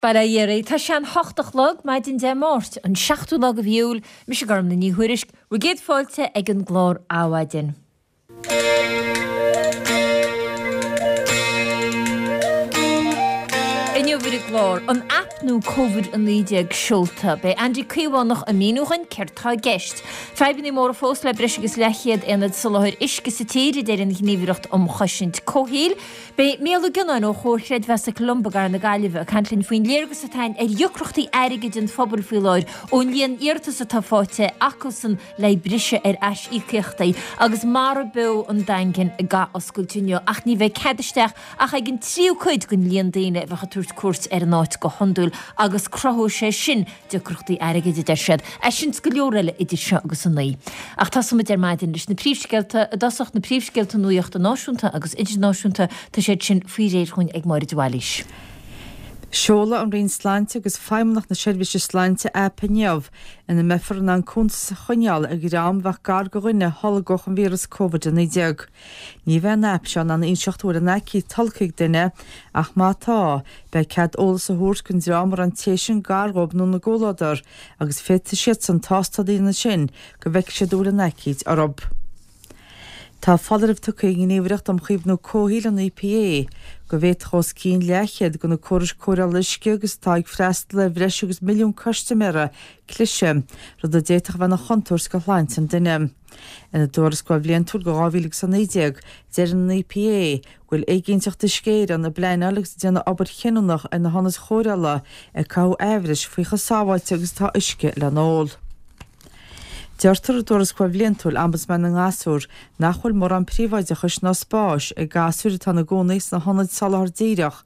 Bail ó Dhia oraibh. Tá sé an hocht a chlog, maidin Dé Máirt, an seachtú lá de mhí Iúil. Mise Gormfhlaith Ní Thuairisg, bhur gcéad fáilte ag an gclár Adhmhaidin. Inniu ar an gclár, an aip nua Covid-19 seolta. Beidh Andy Caomhánach ag míniú dhuinn céard tá i gceist. Fadhbanna móra fós le breis agus leathchéad aonad soláthair uisce sa tír, a deir an Ghníomhaireacht um Chosaint Comhshaoil. Beidh Mícheál Ó Gionnáin ó Chomhar Chreidmheasa Columba i gCathair na Gaillimhe ag caint linn faoin léargas atá againn ar dheacrachtaí airgid an phobail faoi láthair ón líon iarratas atá faighte acusan le briseadh ar aisíocaíochtaí agus Mara Beo an Daingin ag athoscailt inniu ach ní bheidh cead isteach ach ag an tríú cuid den líon daoine a bheadh ag tabhairt cuairt ar an áit go hiondúil agus cruthóidh sé sin deacrachtaí airgid, a deir siad. É sin 's go leor eile idir seo agus a naoi. Ach tosóimid ar maidin leis na príomhscéalta i dtosach, na príomhscéalta nuachta náisiúnta agus idirnáisiúnta, tá siad sin faoi réir dhúinn ag Máire de Bhailís. Seolfaidh an Roinn Sláinte agus Feidhmeannacht na Seirbhíse Sláinte aip inniu ina mbeifear in ann cuntas a choinneáil ar dhream a bheadh gar do dhuine a tholgfadh an víreas Covid-19. Ní bheidh an aip seo in ann a inseacht an bhfuil an aicíd tolgtha ag duine ach má tá, beidh cead eolas a thabhairt don dream a raibh an té sin gar dhóibh nó ina gcomhluadar agus féadfaidh siadsan tástáil a dhéanamh ansin go bhfeicfidh siad an bhfuil an aicíd orthu. Tá foláireamh tugtha ag an nGníomhaireacht um Chaomhnú Comhshaoil, an EPA, go bhféadfadh os cionn leathchéad de na córais cóireála uisce agus atá ag freastal ar bhreis agus milliún custaiméara cliseadh, rud a d'fhéadfadh a bheith ina chontúirt do shláinte an duine. Ina dtuarascáil bhliantúil do 2019, deireann an EPA go bhfuil éiginnteacht Uisce Éireann ag pleanáil agus ag déanamh obair chinniúnach ar na hionaid chóireála ag caitheamh aimhris faoi chomh sábháilte agus atá uisce le n-ól. Deirtear i dtuarascáil bhliantúil Ombudsman na nGasúr nach bhfuil mórán príobháideachais ná spáis ag gasúir atá ina gcónaí sna hionaid soláthar díreach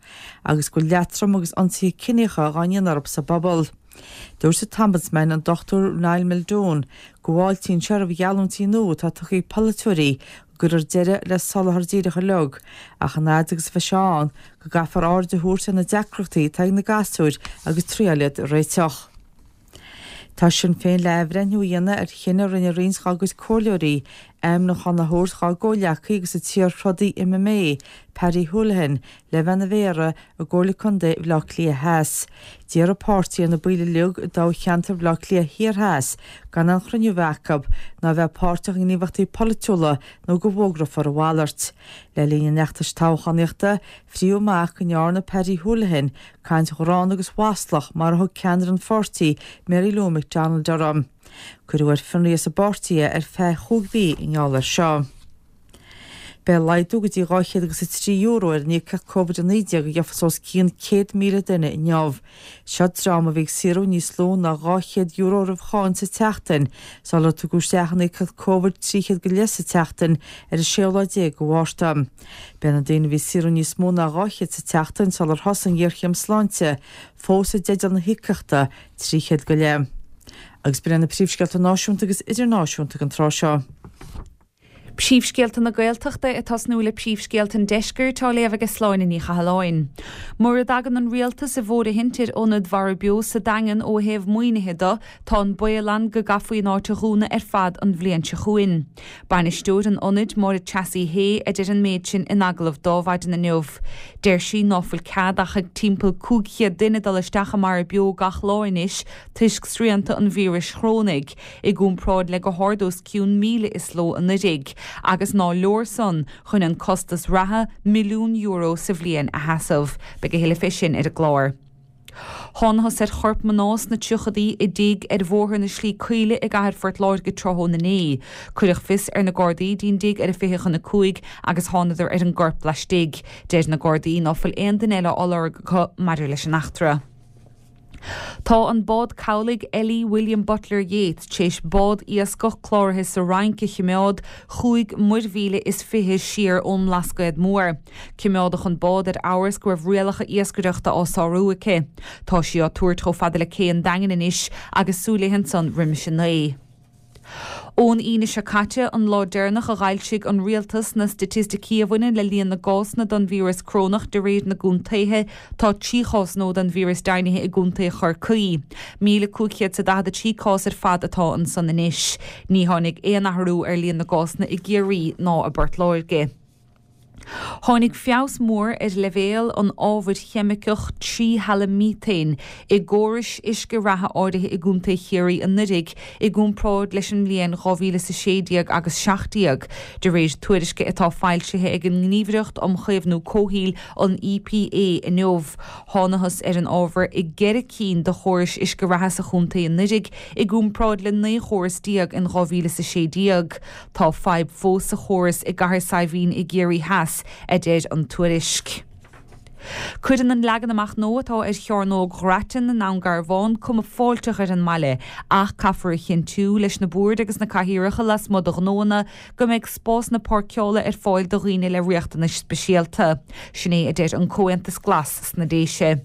agus go bhfuil leatrom agus ionsaithe ciníocha dhá ndéanamh orthu sa bpobal. Dúirt an tOmbudsman, an Dr Niall Muldoon, go bhfáiltíonn sé roimh gheallúintí nua atá tugtha ag polaiteoirí go gcuirfear deireadh le soláthar díreach uilig, ach an fhad agus a bheidh sé ann, go gcaithfear aird a thabhairt ar na deacrachtaí atá ag na gasúir agus triail iad a réiteach. Tá Sinn Féin le athbhreithniú a dhéanamh ar chinneadh a rinne roinnt dá gcuid comhairleoirí ainmniúchán a thabhairt dá gcomhghleacaí agus an t-iar-throdaí MMA, Paddy Holohan, le bheith ina mhéara i gComhairle Contae Bhaile Átha Cliath Theas. D'iarr an páirtí ar na baill uilig i dtoghcheantar Bhaile Átha Cliath Thiar Theas gan aon chruinniú a bheith acu ná a bheith páirteach i ngníomhaíochtaí polaitiúla nó go bhfógrófar a mhalairt. Le linn an fheachtais toghchánaíochta, frítheadh amach go ndearna Paddy Holohan caint ghránna agus mhaslach mar a thug ceannaire an pháirtí, Mary Lou McDonald orthu. Cuireadh ar fionraí as an bpáirtí é ar feadh chúig mhí i ngeall air seo. Beidh laghdú go dtí €203 ar an íocaíocht Covid-19 a gheofas os cionn 100,000 duine inniu. Seo dream a bhí ag saothrú níos lú ná €200 roimh cháin sa tseachtain sular tugadh isteach an íocaíocht Covid 300 go leith sa tseachtain ar an séú lá déag de Mhárta. Beidh na daoine a bhí ag saothrú níos mó ná 200 sa tseachtain sular thosaigh an ghéarchéim sláinte fós i dteideal na híocaíochta 300 go leith. Agus b'in iad na príomhscéalta náisiúnta agus idirnáisiúnta ag an tráth seo. Príomhscéalta na Gaeltachta ag tosnú le príomhscéalta an Deiscirt á léamh aige Sláine Ní Chathalláin. Mura dtagann an Rialtas i bhfóirithint ar ionad Mhara Beo sa Daingean ó thaobh maoinithe do, tá an baol ann go gcaithfí an áit a dhúnadh ar fad an bhliain seo chugainn. Bainisteoir an ionaid, Máire Treasaí Hay, a deir an méid sin in agallamh d'Adhmhaidin inniu. Deir sí ná fuil cead ach ag timpeall 500 duine dul isteach i Mara Beo gach lá anois toisc srianta an víris chorónaigh. i gcomparáid le go hard os cionn 1,000 is ló anuraidh, agus ná leor san chun an costas reatha, €1 milliún sa bhliain, a sheasamh. Beidh a thuilleadh fé sin ar an gclár. Thánathas ar chorp mná sna tríochadaí i dtigh ar Bhóthar na Slí Caoile i gcathair Phort Láirge tráthnóna inné. Cuireadh fios ar na Gardaí dtí'n dtigh ar a 4:40 agus thánadar ar an gcorp laistigh. Deir na Gardaí ná fuil aon duine eile á lorg acu maidir leis an eachtra. Tá an bád cabhlaigh Ellie William Butler Yeats tar éis bád iascach cláraithe sa Fhrainc a chimeád chúig muirmhíle is 20 siar ón mBlascaod Mór. Cimeádadh an bád ar amhras go raibh rialacha iascaireachta á sárú aici. Tá sí á tabhairt chomh fada le cé an Daingin anois agus súil léi ansan roimis a naoi. Ón Aoine seo caite, an lá deireanach a dh'fhoilsigh an Rialtas na staitisticí a bhaineann le líon na gcásanna den víreas corónach de réir na gcontaetha, tá 3 chás nua den víreas deimhnithe i gcontae Chorcaí. 1,543 cás ar fad atá ansan anois. Ní tháinig aon athrú ar líon na gcásanna i gCiarraí ná i bPort Láirge. Tháinig feabhas mór ar leibhéal an ábhair cheimiceach tríhalaimíotéin i gcórais uisce reatha áirithe i gContae Chiarraí anuraidh i gcomparáid leis an mbliain 2016 agus 17, de réir tuairisce atá foilsithe ag an nGníomhaireacht um Chaomhnú Comhshaoil, an EPA, inniu. Thánathas ar an ábhar i gceithre cinn de chórais uisce reatha sa chontae anuraidh i gcomparáid le 19 chóras in 2016. Tá fadhb fós sa chóras i gCathair Saidhbhín i gCiarraí Theas, a deir an tuairisc. Cuireann an leagan amach nua atá ar Chearnóg Ghrattan i nDún Garbhán cuma fáilteach ar an mbaile ach caithfear a chinntiú leis na boird agus na cathaoireacha lasmuigh de ghnóanna go mbeidh spásanna páirceála ar fáil do dhaoine le riachtanais speisialta. Sin é a deir an Comhaontas Glas sna Déise.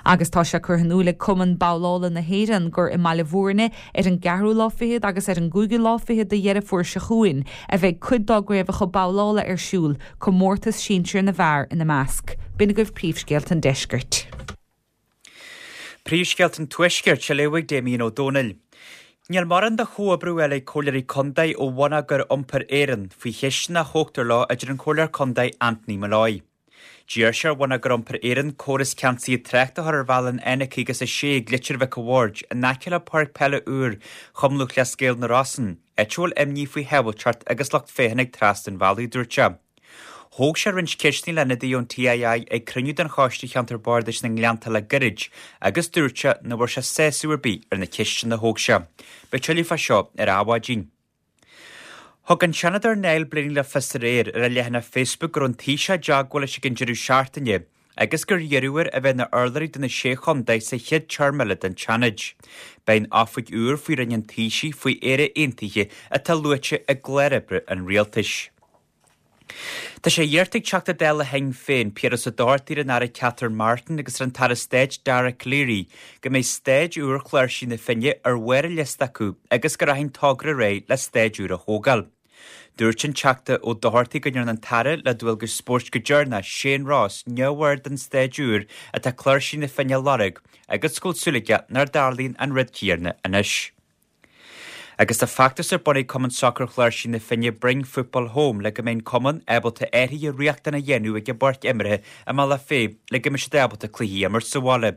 Agus tá sé curtha in iúl ag Cumann Babhlála na hÉireann gur i mBaile Bhúirne ar an gceathrú lá fichead agus ar an gcúigiú lá fichead de Dheireadh Fómhair seo chugainn a bheidh cuid dá gcraobhacha babhlála ar siúl, comórtas sinsir na bhfear ina measc. B'in agaibh príomhscéalta an deiscirt. Príomhscéalta an Tuaiscirt á léamh ag Damien Ó Dónaill. Níl mórán de chomhoibriú eile ag Comhairleoirí Contae ó Bhonneagar Iompair Éireann faoi cheisteanna a thógtar leo a deir an Comhairleoir Contae Anthony Molloy. D'iarr sé ar Bhonneagar Iompair Éireann córas ceansaithe tráchta a chur ar bhealach an N56 ag Leitir Mhic a' Bhaird in aice le páirc peile úr Chumann Lúthchleas Gael na Rosann, áit a bhfuil imní faoi shábháilteacht agus lucht féachana ag trasnú an bhealaigh, a dúirt sé. Thóg sé roinnt ceisteanna le hionadaithe ón TII ag cruinniú den Choiste Cheantar Bardais na nGleannta le gairid agus dúirt sé nach bhfuair sé sásamh ar bith ar na ceisteanna a thóg sé. Beidh tuilleadh fá seo ar Adhmhaidin. Thug an Seanadóir Niall Blaney le fios aréir ar a leathanach Facebook go raibh an Taoiseach i dteagmháil leis ag an deireadh seachtaine agus gur iarradh air a bheith ina urlabhraí do na Sé Chontae sa chéad téarma eile den tSeanad. Beidh an oifig úr faoi Roinn an Taoisigh faoi Éire Aontaithe atá luaite i gclár oibre an Rialtais. Tá sé iarrta ag Teachta Dála Shinn Féin, Piaras Ó Dochartaigh ar an Aire Catherine Martin agus ar an tAire Stáit Dara Calleary go mbeidh staid úr Chláirsí na Finne ar bharr a liosta acu agus go rachaidh an togra ar aghaidh le staid úr a thógáil. Dúirt an Teachta Ó Dochartaigh go ndearna an tAire le dualgais spóirt go deireanach, Shane Ross, neamhaird den staid úr atá Cláirsí na Finne a lorg agus go bhfuil súil aige nach dtarlaíonn an rud céanna anois. Agus tá feachtas ar bun ag Cumann Sacair Chláirsí na Finne Bring Football Home le go mbeidh an cumann ábalta athruithe riachtanacha a dhéanamh ag an bpáirc imeartha i mBealach Féich le go mbeidh siad ábalta cluichí a imirt sa bhaile.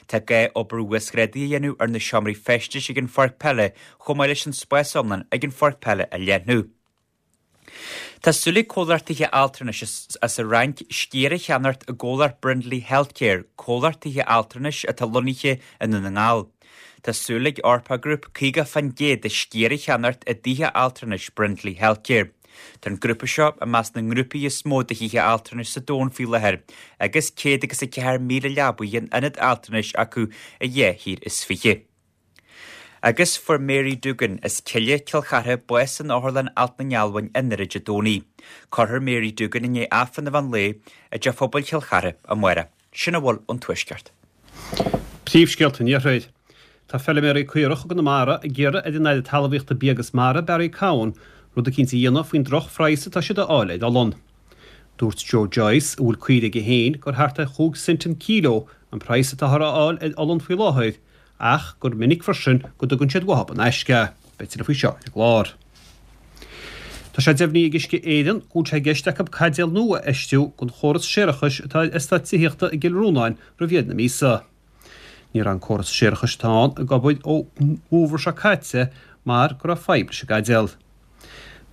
Tá gá obair uasghrádaithe a dhéanamh ar na seomraí feistis ag an pháirc peile chomh maith leis an spás iomlán ag an pháirc peile a leathnú. Tá súil ag comhlacht tithe altranais as an Fhrainc sciar a cheannacht i gcomhlacht Brindley Healthcare, comhlacht tithe altranais atá lonnaithe i nDún na nGall. Tá súil ag Orpar Group 50% de sciar a cheannacht i dtithe altranais Brindley Healthcare. Tá an grúpa seo i measc na ngrúpaí is mó de thithe altranais sa domhan faoi láthair agus 104,000 leabaidh in ionad altranais acu i dhá thír is fiche. Agus fuair Mary Doogan as Cille, Cill Chartha, bás in Otharlann Alt na nGealbhain i nDoire Dé Domhnaigh. Cuirfear Mary Doogan i ndiaidh Aifreann an mheán lae i dTeach Phobail Chill Chartha amárach. Sin a bhfuil ón Tuaisceart. Príomhscéalta an Iarthair. Tá feiliméaraí caorach i gConamara ag iarraidh ar an Aire Talmhaíochta Bia agus Mara, Barry Cowen, rud eicínt a dhéanamh faoin droch-phraghas atá siad a fháil ar olann. Dúirt Joe Joyce, a bhfuil caoirigh aige féin, gur thart ar chúig cent an kíló an praghas atáthar a fháil ar olann faoi láthair ach gur minic freisin go dtugann siad uathub in aisce. Beidh tuilleadh faoi seo ar an gclár. Tá sé deimhnithe ag Uisce Éireann go bhfuil sé i gceist acu caidéal nua a fheistiú don chóras séarachais atá ar eastát tithíochta i gCill Rónáin roimh dheireadh na míosa. Ní raibh an córas séarachais atá ann ag obair ón bhfómhar seo caite mar go raibh fadhb leis an gcaidéal.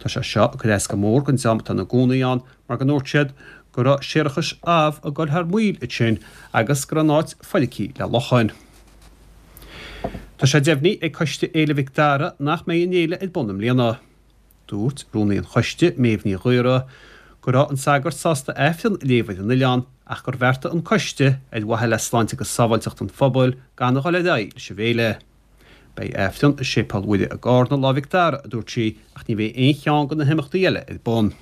Tá sé seo ag cur as go mór don dream atá ina gcónaí ann mar go ndúirt siad go raibh séarachas amh ag dul thar maoil ansin agus go raibh an áit foircithe le luchain. Tá sé deimhnithe ag Coiste Fhéile Mhic Dara nach mbeidh an fhéile ar bun i mbliana. Dúirt rúnaí an choiste, Méabh Ní Ghaora, go raibh an sagart sásta Aifreann a léamh ar an oileán ach gur bheartaigh an coiste, ar mhaithe le sláinte agus sábháilteacht an phobail, gan a dhul ar aghaidh leis an bhféile. Beidh Aifreann i Séipéal Mhuire i gCarna Lá Mhic Dara, a dúirt sí, ach ní bheidh aon cheann de na himeachtaí eile ar bun.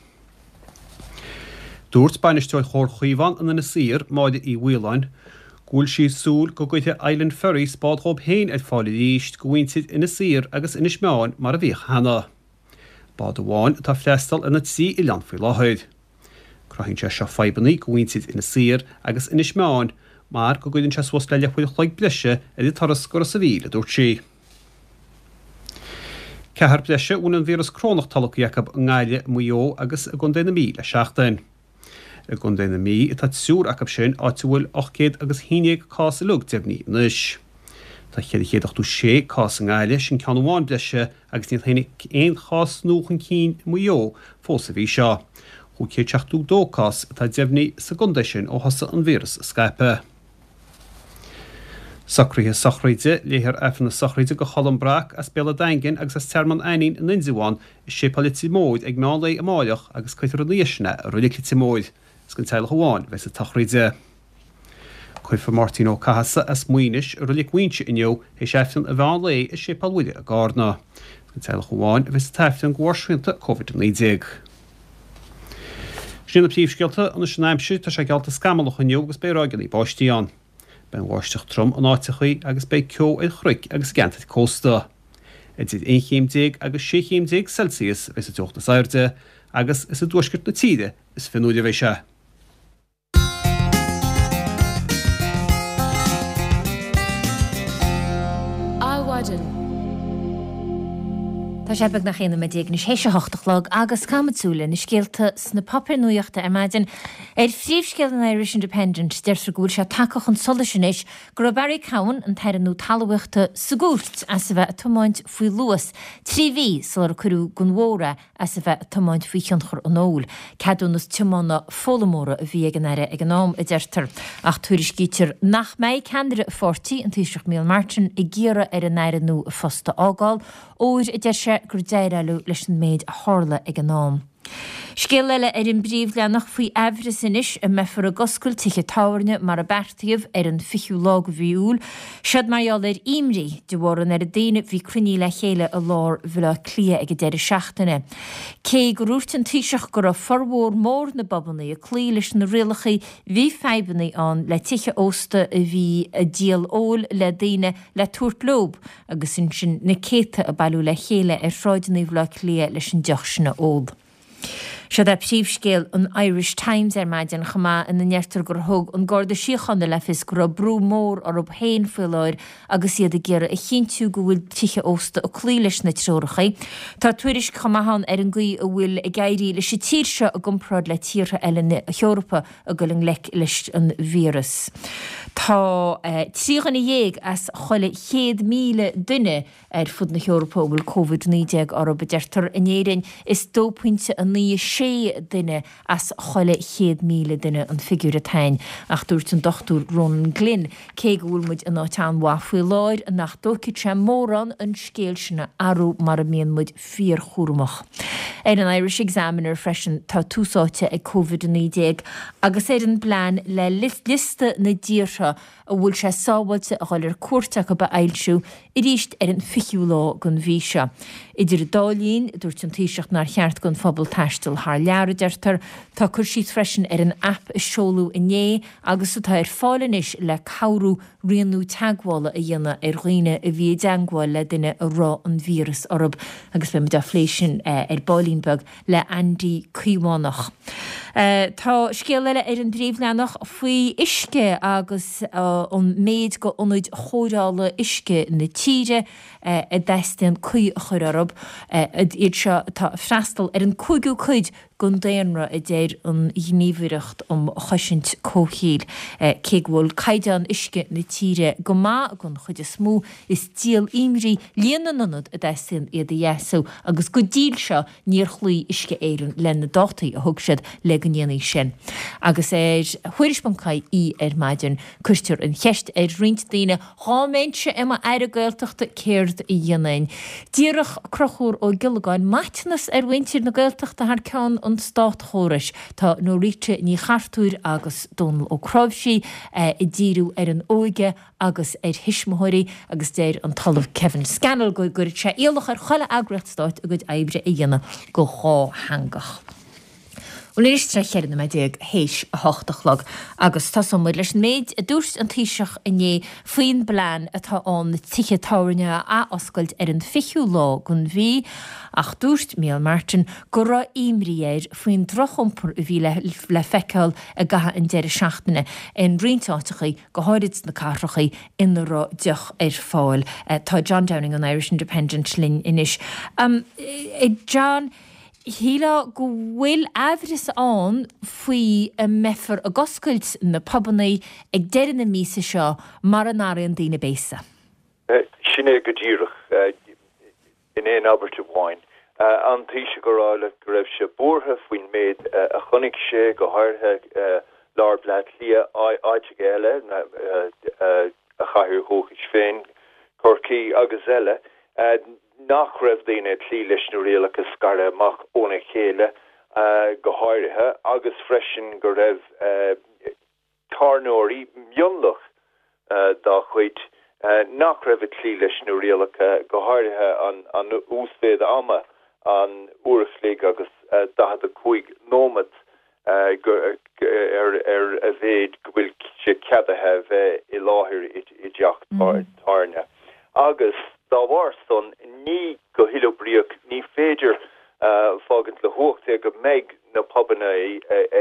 Dúirt bainisteoir Chomhar Chaomhán in Inis Oírr, Máire Uí Mhaoláin, go bhfuil sí ag súil go gcuirfidh Island Ferries bád dhóib féin ar fáil arís do mhuintir Inis Oírr agus Inis Meáin mar a bhíodh cheana. Bád amháin atá ag freastal ar na trí oileán faoi láthair. Cruthaíonn sé seo fadhbanna do mhuintir Inis Oírr agus Inis Meáin mar go gcuireann sé suas le leathuair a chloig breise ar an turas go Ros a' Mhíl, a dúirt sí. Ceathrar breise a bhfuil an víreas corónach tolgtha acu i nGaillimh, i Maigh Eo agus i gContae na Mí le seachtain. I gContae na Mí atá triúr acu sin, áit a bhfuil 800 agus 11 cás uilig deimhnithe anois. Tá 486 cás i nGaillimh, sin ceann amháin breise, agus níor tháinig aon chás nua chun cinn i Maigh Eo fós an mhí seo. 572 cás atá deimhnithe sa gcontae sin ó thosaigh an víreas ag scaipeadh. Socruithe sochraide, Léifear Aifreann na sochraide do Cholm Breac as Béal an Daingin agus as Tearmann Ainnín in Indreabhán i Séipéal Leitir Móir ag meán lae amáireach agus cuirfear ina dhiaidh sin é i Reilig Leitir Móir. Is den teaghlach amháin a bheas an tsochraid. Cuirfear Máirtín Ó Cathasaigh as Maínis i Reilig Mhaínse inniu théis Aifreann an mheán lae i Séipéal Mhuire i gCarna. Is den teaghlach amháin a bheas an t-aifreann de bharr srianta Covid-19. Sin iad na príomhscéalta, anois an aimsir, tá sé geallta scamallach inniu agus beidh ráigeanna báistí ann. Beidh an bháisteach trom in áiteachaí agus beidh ceo ar chnoic agus i gceantair cósta. Idir 11 chéim agus 16 chéim Celsius a bheas an teocht is airde agus is i dtuaisceart na tíre is fionnuaire a bheidh sé. Adhmhaidin. Tá sé beagnach 11 nóiméad anois théis a hocht a chlog agus caithfimid súil ar na scéalta sna páipéir nuachta ar maidin. Ar phríomhscéal an Irish Independent, deirtear go bhfuil sé tagtha chun solais anois go raibh Barry Cowen, an tAire nua Talmhaíochta, sa gcúirt as a bheith ag tiomáint faoi luas trí mhí sular cuireadh den bhóthar é as a bheith ag tiomáint faoi thionchar an óil. Ceadúnas tiomána foghlaimeora a bhí ag an Aire ag an am, a deirtear. Ach tuairiscítear nach mbeidh ceannaire a pháirtí, an Taoiseach Micheál Martin, ag iarraidh ar an Aire nua a phost a fhágáil, óir, a deir sé, gur déileáladh leis an méid a tharla ag an am. Scéal eile ar an bpríomhleathanach faoi aimhreas anois an mbeifear ag oscailt tithe tábhairne mar a beartaíodh ar an 20ú lá de mhí Iúil. Seod mar gheall ar imní de bharr an oiread daoine bhí cruinnithe le chéile i lár Bhaile Átha Cliath ag an deireadh seachtaine. Cé go ndúirt an Taoiseach go raibh formhór mór na bpubanna ag cloí leis na rialacha bhí fadhbanna ann le tithe ósta a bhí ag díol óil le daoine le tabhairt leob agus ansin na céadta ag bailiú le chéile ar shráideanna Bhaile Átha Cliath leis an deoch sin a ól. Seod é príomhscéal an Irish Times ar maidin chomh maith ina ndeirtear gur thug an Garda Síochána le fios go raibh brú mór orthu féin faoi láthair agus iad ag iarraidh a chinntiú go bhfuil tithe ósta ag cloí leis na treoracha. Tá tuairisc chomh maith ann ar an gcaoi a bhfuil ag éirí leis an tír seo i gcomparáid le tíortha eile na hEorpa ag dul i ngleic leis an víreas. Tá 13 dhuine as chuile 100,000 duine Ar fud na hEorpa a bhfuil Covid-19 orthu, a deirtear. In Éirinn, is 2.96 duine as chuile 100,000 duine an figiúr atá ann. Ach dúirt an Dr Ronan Glynn, cé go bhfuil muid in áit an-mhaith faoi láthair, nach dtógfaidh sé mórán an scéal sin a athrú mara mbíonn muid fíorchúramach. Ar an Irish Examiner freisin tá tús áite ag Covid-19 agus ar an bplean le liosta na dtíortha a bhfuil sé sábháilte a dhul ar cuairt acu a fhoilsiú arís ar an 20ú lá den mhí seo. Idir an dá linn, dúirt an Taoiseach nár cheart don phobal taisteal thar lear, a deirtear. Tá cur síos freisin ar an aip a seoladh inné agus atá ar fáil anois le cabhrú rianú teagmhála a dhéanamh ar dhaoine a bhí i dteagmháil le duine a raibh an víreas orthu agus beidh muid á phlé sin ar baillín beag. le Andy Caomhánach. Tá scéal eile ar an bpríomhleathanach faoi uisce agus an méid go ionaid chóireála uisce na tíre a dteastaíonn caoi a chur orthu, iad seo atá ag freastal ar an cúigiú cuid den daonra, a deir an Ghníomhaireacht um Chosaint Comhshaoil. Cé go bhfuil caighdeán uisce na tíre go maith don chuid is mó, is díol imní líon na n-ionad a dteastaíonn iad a dheasú agus go dtí seo níor chloígh Uisce Éireann le na dátaí a thug siad le go ndéanfaí sin. Agus ar Thuairisc.ie ar maidin cuirtear an cheist ar roinnt daoine, dhá mbeinnse i m'Aire Gaeltachta céard a dhéanfainn? D'iarrfadh Conchúr Ó Giollagáin maiteanas ar mhuintir na Gaeltachta thar ceann an státchórais. Tá Norita Ní Chartúir agus Dónal Ó Cnáimhsí ag díriú ar an óige agus ar thuismitheoirí agus deir an tOllamh Kevin Scannell go gcuirfeadh sé iallach ar chuile eagraíocht stáit a gcuid oibre a dhéanamh go dhátheangach. Bhuel anois tá 14 nóiméad théis a hocht a chlog agus tosóidh muid leis an méid a dúirt an Taoiseach inné faoin bplean atá ann na tithe tábhairne a athoscailt ar an 20ú lá den mhí ach dúirt Micheál Martin go raibh imní air faoin drochiompar a bhí le feiceáil i gcaitheamh an deireadh seachtaine in roinnt áiteachaí go háirid sna cathrachaí ina raibh deoch ar fáil. Tá John Downing ón Irish Independent linn anois. John, Shílfeá go bhfuil aimhreas ann faoi an mbeifear ag oscailt na pubannaí ag deireadh na míosa seo mara n-athraíonn daoine béasa. Sin é go díreach, in aon abairt amháin. An Taoiseach ag rá leat go raibh sé buartha faoin méid a chonaic sé, go háirithe lár Bleá Cliath, áiteacha eile, a chathair dhúchais féin, Corcaigh agus eile. nach raibh daoine ag cloí leis na rialacha scaradh amach óna chéile go háirithe agus freisin go raibh tábhairneoirí, mionlach dá chuid, nach raibh ag cloí leis na rialacha, go háirithe an uasmhéid ama, an uair a chloig agus 45 nóimeat. ar a mhéid go bhfuil sé ceadaithe a bheith i láthair i dteach tábhairne agus dá bharr san ní go huathoibríoch ní féidir fágaint le huacht é go mbeidh na pubanna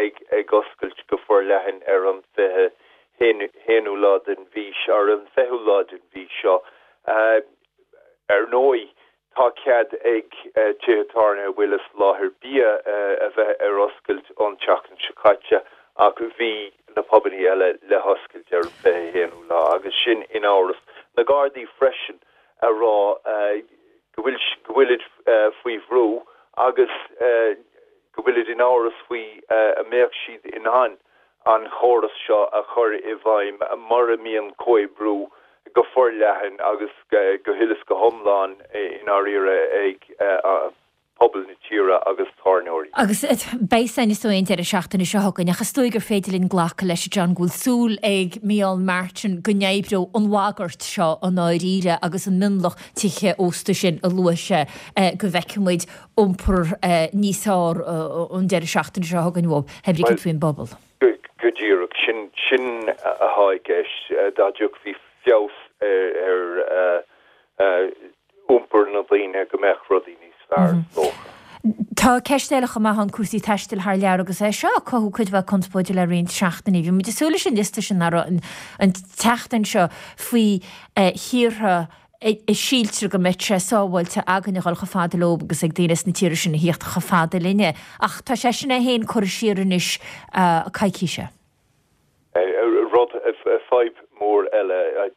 ag oscailt go forleathan ar an 21ú lá den mhí ar an 20ú lá den mhí seo. Ar ndóigh Tá cead ag tithe tábhairne a bhfuil ag soláthar bia a bheith ar oscailt ón tseachtain seo caite ach bhí na pubannaí eile le hoscailt ar an 21ú lá agus sin in amhras. Na Gardaí freisin a rá go bhfuil go bhfuilid faoi bhrú agus go bhfuilid in amhras faoi a mbeadh siad in ann an chóras seo a chur i bhfeidhm mura mbíonn comhoibriú go forleathan agus go huile is go hiomlán i ndáiríre ag pobal na tíre agus tábhairneoirí. Agus beidh san is dóigh an deireadh seachtaine seo chugainn ach is dóigh gur féidir linn glacadh leis, a John, go bhfuil súil ag Micheál Martin go n-oibreoidh an bhagairt seo i ndáiríre agus an mionlach tithe ósta sin a luaigh sé go bhfeicfidh muid iompar níos fearr an deireadh seachtaine seo chugainn uathu, pé brí céard faoin bpobal. Go díreach, sin sin atá i gceist. Dá dtiocfaí feabhas ar iompar na ndaoine go mbeadh rudaí níos fearr, is dócha. Tá ceist eile chomh maith ann, cúrsaí taistil thar lear agus é seo ag cothú cuid mhaith conspóide le roinnt seachtainí. Bhí muid ag súil leis an liosta sin an tseachtain seo faoi thíortha a síltear go mbeadh sé sábháilte againn a dhul chomh fada leo agus ag daoine sna tíortha sin a thíocht chomh fada linne. Ach tá sé sin é féin curtha siar anois coicíse. Rud, fadhb mhór eile,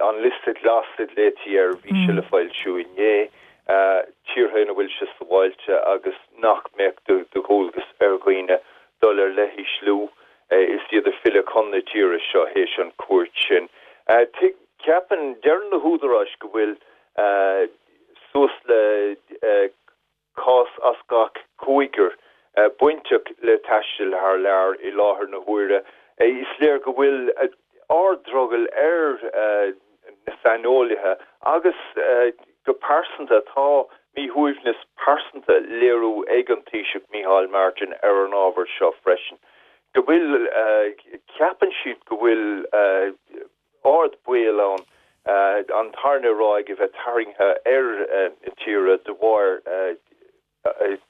an liosta glas a ghlaoití air, bhí sé le foilsiú inné, tíortha ina bhfuil sé sábháilte agus nach mbeadh de dhualgas ar dhaoine dul ar leithisliú is iad ag filleadh chun na tíre seo théis an chuairt sin. Ceapann, deireann na húdaráis go bhfuil suas le cás as gach cúigear bainteach le taisteal thar lear i láthair na huaire. Is léir go bhfuil ard-drogall ar na saineolaithe agus go pearsanta tá míshuaimhneas pearsanta léiriú ag an Taoiseach Micheál Martin ar an ábhar seo freisin. Go bhfuil, ceapann siad go bhfuil ard baol ann an tarna ráig a bheith tarraingthe ar na tíre de bharr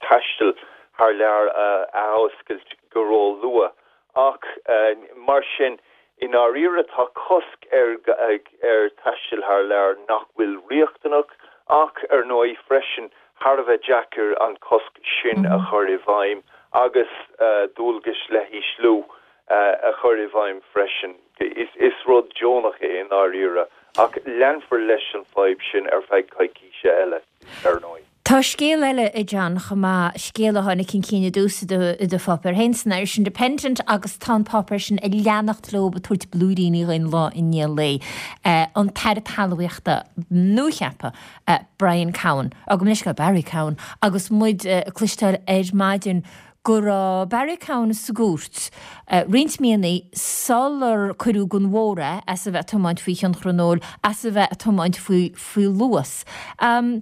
taisteal thar lear a athoscailt go ró-luath. Ach mar sin, i ndáiríre tá cosc ar ar taisteal thar lear nach bhfuil riachtanach ach ar ndóigh freisin thar a bheith deacair an cosc sin a chur i bhfeidhm agus dualgais leithisliú a chur i bhfeidhm freisin. Is rud deonach é i ndáiríre ach leanfar leis an fadhb sin ar feadh coicíse eile ar ndóigh. Tá scéal eile, a John, chomh maith, scéal a tháinig chun cinn i dtús i do pháipéar féin, san Irish Independent, agus tá an páipéar sin ag leanacht leo ag tabhairt blúiríní dhuinn lá i ndiaidh lae. An tAire Talmhaíochta nuacheaptha, Brian Cowen, gabh mo leithscéal, Barry Cowen, agus muid ag cloisteáil ar maidin go raibh Barry Cowen sa gcúirt roinnt míonna sular cuireadh den bhóthar é as a bheith ag tiomáint faoi thionchar an óil, as a bheith ag tiomáint faoi faoi luas. An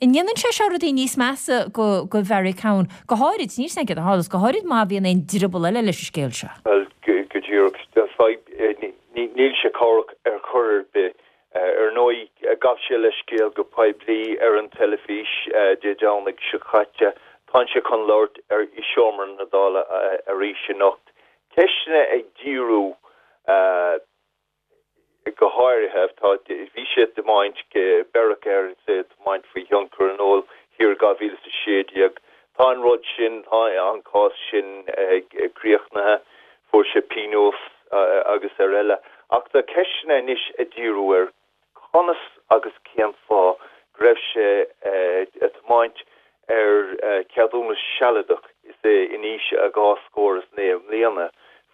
ndéanann sé seo rudaí níos measa go Bharry Cowen, go háirid, níl 's agam céard a tharlós, go háirid má bhíonn aon drioball eile leis an scéal seo? Bhuel, go díreach, níl sé cabhrach ar chor ar bith. Ar ndóigh, ghabh sé leithscéal go poiblí ar an teilifís Dé Domhnaigh seo caite. Tá sé chun labhairt i seomra na Dála arís anocht. Ceisteanna ag díriú go háirithe, tá, bhí sé ag tiomáint, beireadh air is é ag tiomáint faoi thionchar an óil. Thiar i 2016. Tá an rud sin, tá an cás sin críochnaithe, fuair sé pionós agus ar eile. Ach tá ceisteanna anois ag díriú ar conas agus cén fáth go raibh sé ag tiomáint ar cheadúnas sealadach is é in aois a dhá scór is 9 mbliana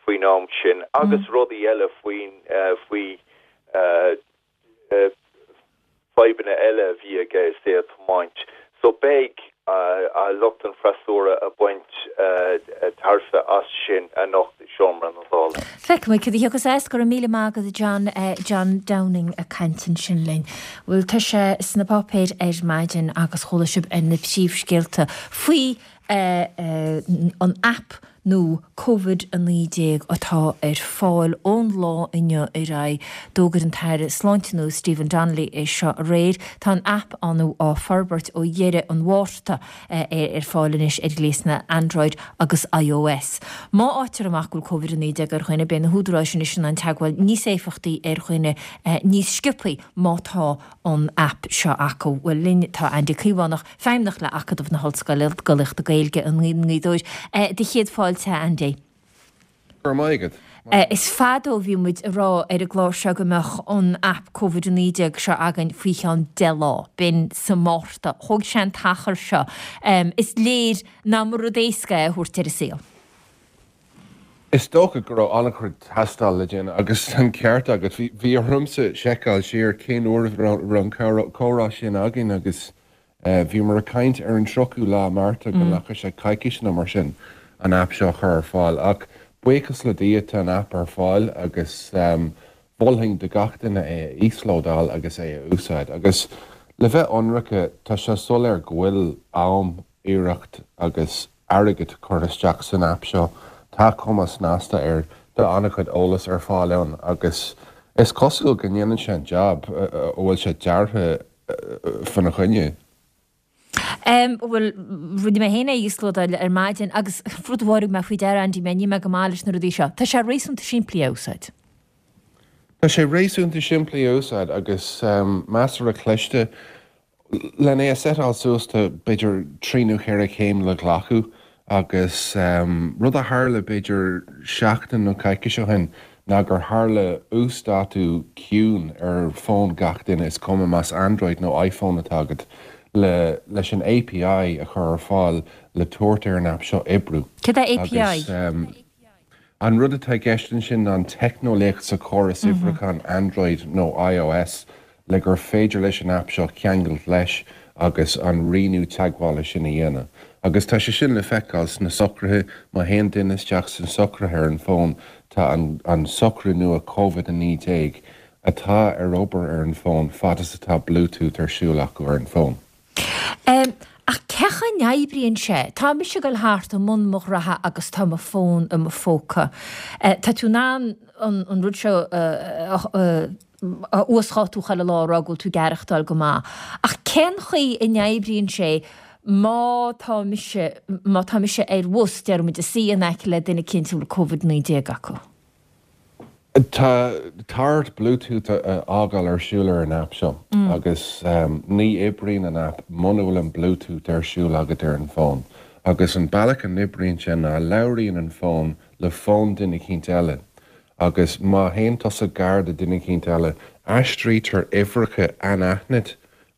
faoin am sin agus rudaí eile faoin faoi fadhbanna eile a bhí aige is é ag tiomáint. So beidh lucht an freasúra ag baint tairbhe as sin anocht i seomra na Dála. Feicfidh muid cad a thiocfas as. Go raibh míle maith agat a John. John Downing ag caint ansin linn. Bhuel tá sé sna páipéir ar maidin agus chuala sibh ar na príomhscéalta faoi an aip nua Covid-19 atá ar fáil ón lá inniu ar aghaidh. D'fhógair an tAire Sláinte nua Stephen Donnelly é seo aréir. Tá an aip nua á forbairt ó dheireadh an Mhárta é ar fáil anois ar ghléasanna Android agus iOS. Má fhaightear amach go bhfuil Covid-19 ar dhuine, beidh na húdaráis anois in ann teagmháil níos éifeachtaí ar dhuine níos sciobthaí má tá an aip seo acu. Bhuel linn tá Andy Caomhánach, Feidhmeannach le Acadamh na hOllscolaíochta Gaeilge i nGaoth Dobhair. Do chéad fáilte, a Andy. Go raibh maith agat. Is fada ó bhí muid ag rá ar an gclár seo go mbeadh an aip Covid-19 seo againn faoi cheann 10 lá, b'in sa Márta. Thóg sé an t-achar seo. Is léir nach mba rud éasca é a thabhairt ar an saol. Is dócha go raibh an-chuid tástáil le déanamh agus an ceart agat. Bhí ormsa seiceáil siar cén uair a raibh an comhrá sin againn agus bhíomar ag caint ar an 30ú lá Márta go nglacfadh sé coicís nó mar sin an aip seo a chur ar fáil. Ach buíochas le Dia tá an aip ar fáil agus mholfainn do gach duine é a íoslódáil agus é a úsáid. Agus le bheith ionraice tá sé soiléir go bhfuil am, iarracht agus airgead curtha isteach san aip seo. Tá cuma snasta air, tá an-chuid eolais ar fáil ann agus is cosúil go ndéanann sé an jab a bhfuil sé deartha fána choinne. Bhuel, rinne mé féin é a íoslódáil ar maidin agus rud amháin a thug mé faoi deara, Andy, mé, níl mé go maith leis na rudaí seo. Tá sé réasúnta simplí a úsáid. Tá sé réasúnta simplí a úsáid agus measartha cliste. Len é a seiteáil suas tá b'fhéidir trí nó cheithre chéim le glacadh agus rud a tharla b'fhéidir seachtain nó coicís ó shin ná gur tharla uasdátú ciúin ar fón gach duine, is cuma más Android nó iPhone atá agat, le leis an API a chur ar fáil le tabhairt ar an aip seo oibriú. Céard é API? Agus an rud atá i gceist ansin ná an teicneolaíocht sa chóras oibriúcháin Android nó iOS le gur féidir leis an aip seo ceangailt leis agus an rianú teagmhála sin a dhéanamh. Agus tá sé sin le feiceáil sna socruithe, má théann duine isteach sna socruithe ar an bhfón, tá an an socrú nua Covid-19 atá ar obair ar an bhfón fad is atá Bluetooth ar siúl acu ar an bhfón. Ach cé chaoi a n-oibríonn sé? Tá mise ag dul thart i mbun mo ghraithe agus tá mo fón i mo phóca. Tá tú in ann an rud seo a a uasdhátú chuile lá a rá go bhfuil tú ag aireachtáil go maith. Ach cén chaoi a n-oibríonn sé má tá mise, má tá mise ar bhus, déarfaidh muid, ag suí in aice le duine eicínt a bhfuil Covid-19 acu? Tá tá ort Bluetooth a fhágáil ar siúl ar an aip seo agus ní oibríonn an aip muna bhfuil an Bluetooth ar siúl agat ar an bhfón. Agus an bealach a n-oibríonn sé ná labhraíonn an fón le fón duine eicínt eile Agus má théann tusa gar do duine eicínt eile, aistrítear uimhreacha anaithnid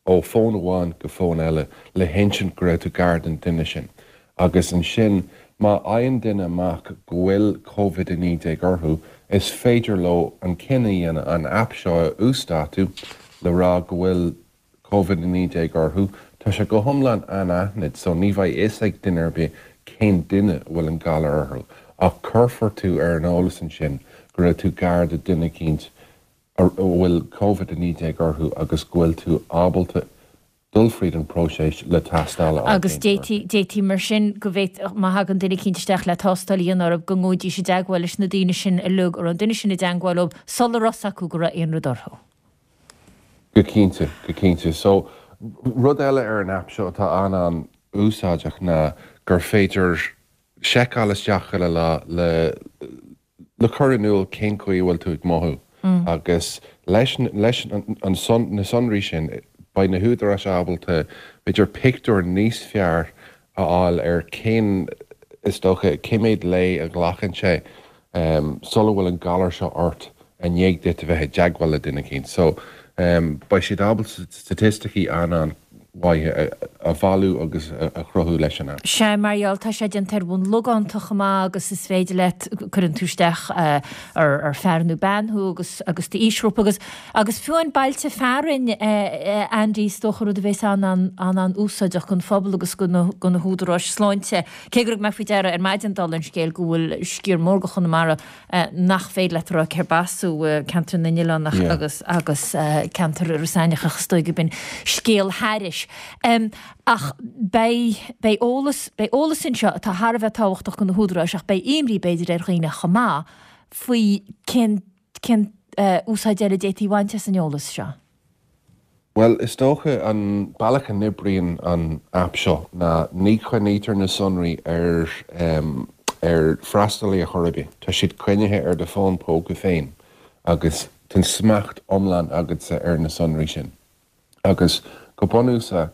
ó fón amháin go fón eile le hinsint go raibh tú gar don duine sin. Agus ansin, má fhaigheann duine amach go bhfuil Covid-19 orthu, is féidir leo an cinneadh a dhéanamh an aip seo a uasdátú le rá go bhfuil Covid-19 orthu, tá sé go hiomlán anaithnid so ní bheidh fhios ag duine ar bith cén duine a bhfuil an galar orthu ach cuirfear tú ar an eolas ansin go raibh tú gar do duine eicínt a bhfuil Covid-19 orthu agus go bhfuil tú ábalta dul fríd an próiseas le tástáil a fháil Agus déanta orthu. d'fhéadfaí, d'fhéadfaí mar sin go bhféadfadh, má thagann duine eicínt isteach le tástáil a dhéanamh orthu go ngabhaidís i dteagmháil leis na daoine sin uilig a raibh an duine sin i dteagmháil leo sula raibh fhios acu go raibh aon rud orthu. Go cinnte, go cinnte. So, rud eile ar an aip seo atá an-an-úsáideach ná gur féidir seiceáil isteach chuile lá le le cur in iúl cén chaoi a bhfuil tú ag mothú agus leis leis an na sonraí sin. Beidh na húdaráis ábalta, b'fhéidir, pictiúr níos fearr a fháil ar cén, is dócha, cé mhéad lae a ghlacann sé sula bhfuil an galar seo ort i ndiaidh duit a bheith i dteagmháil le duine eicínt. So, beidh siad ábalta staitisticí an-an-mhaith a bhailiú agus a chruthú leis an aip. Sea, mar gheall, tá sé déanta ar bhonn logánta chomh maith agus is féidir leat, cuireann tú isteach ar fear nó bean thú agus agus d'aoisghrúpa agus Agus fiú an bailte fearainn, a Andy, is dócha rud a bheas an-an-úsáideach don phobal agus do na húdaráis sláinte. Cé gur thug mé faoi deara ar maidin, dála an scéil, go bhfuil sciar mór de Chonamara nach féidir leat a rá cérb as thú, ceantar na nOileánach agus agus ceantar Iorras Aithneach ach is dóigh gurb in scéal thairis. Ach beidh beidh eolas beidh eolas anseo atá thar a bheith tábhachtach do na húdaráis ach beidh imní b'fhéidir ar dhaoine chomh maith faoi cén Cén úsáid eile a d'fhéadfaí a bhaint as an eolas seo? Bhuel, is dócha an bealach a n-oibríonn an aip seo ná ní choinnítear na sonraí ar ar freastalaí ar chor ar bith. Tá siad coinnithe ar do fón póca féin agus tá an smacht iomlán agatsa ar na sonraí sin. Agus go bunúsach,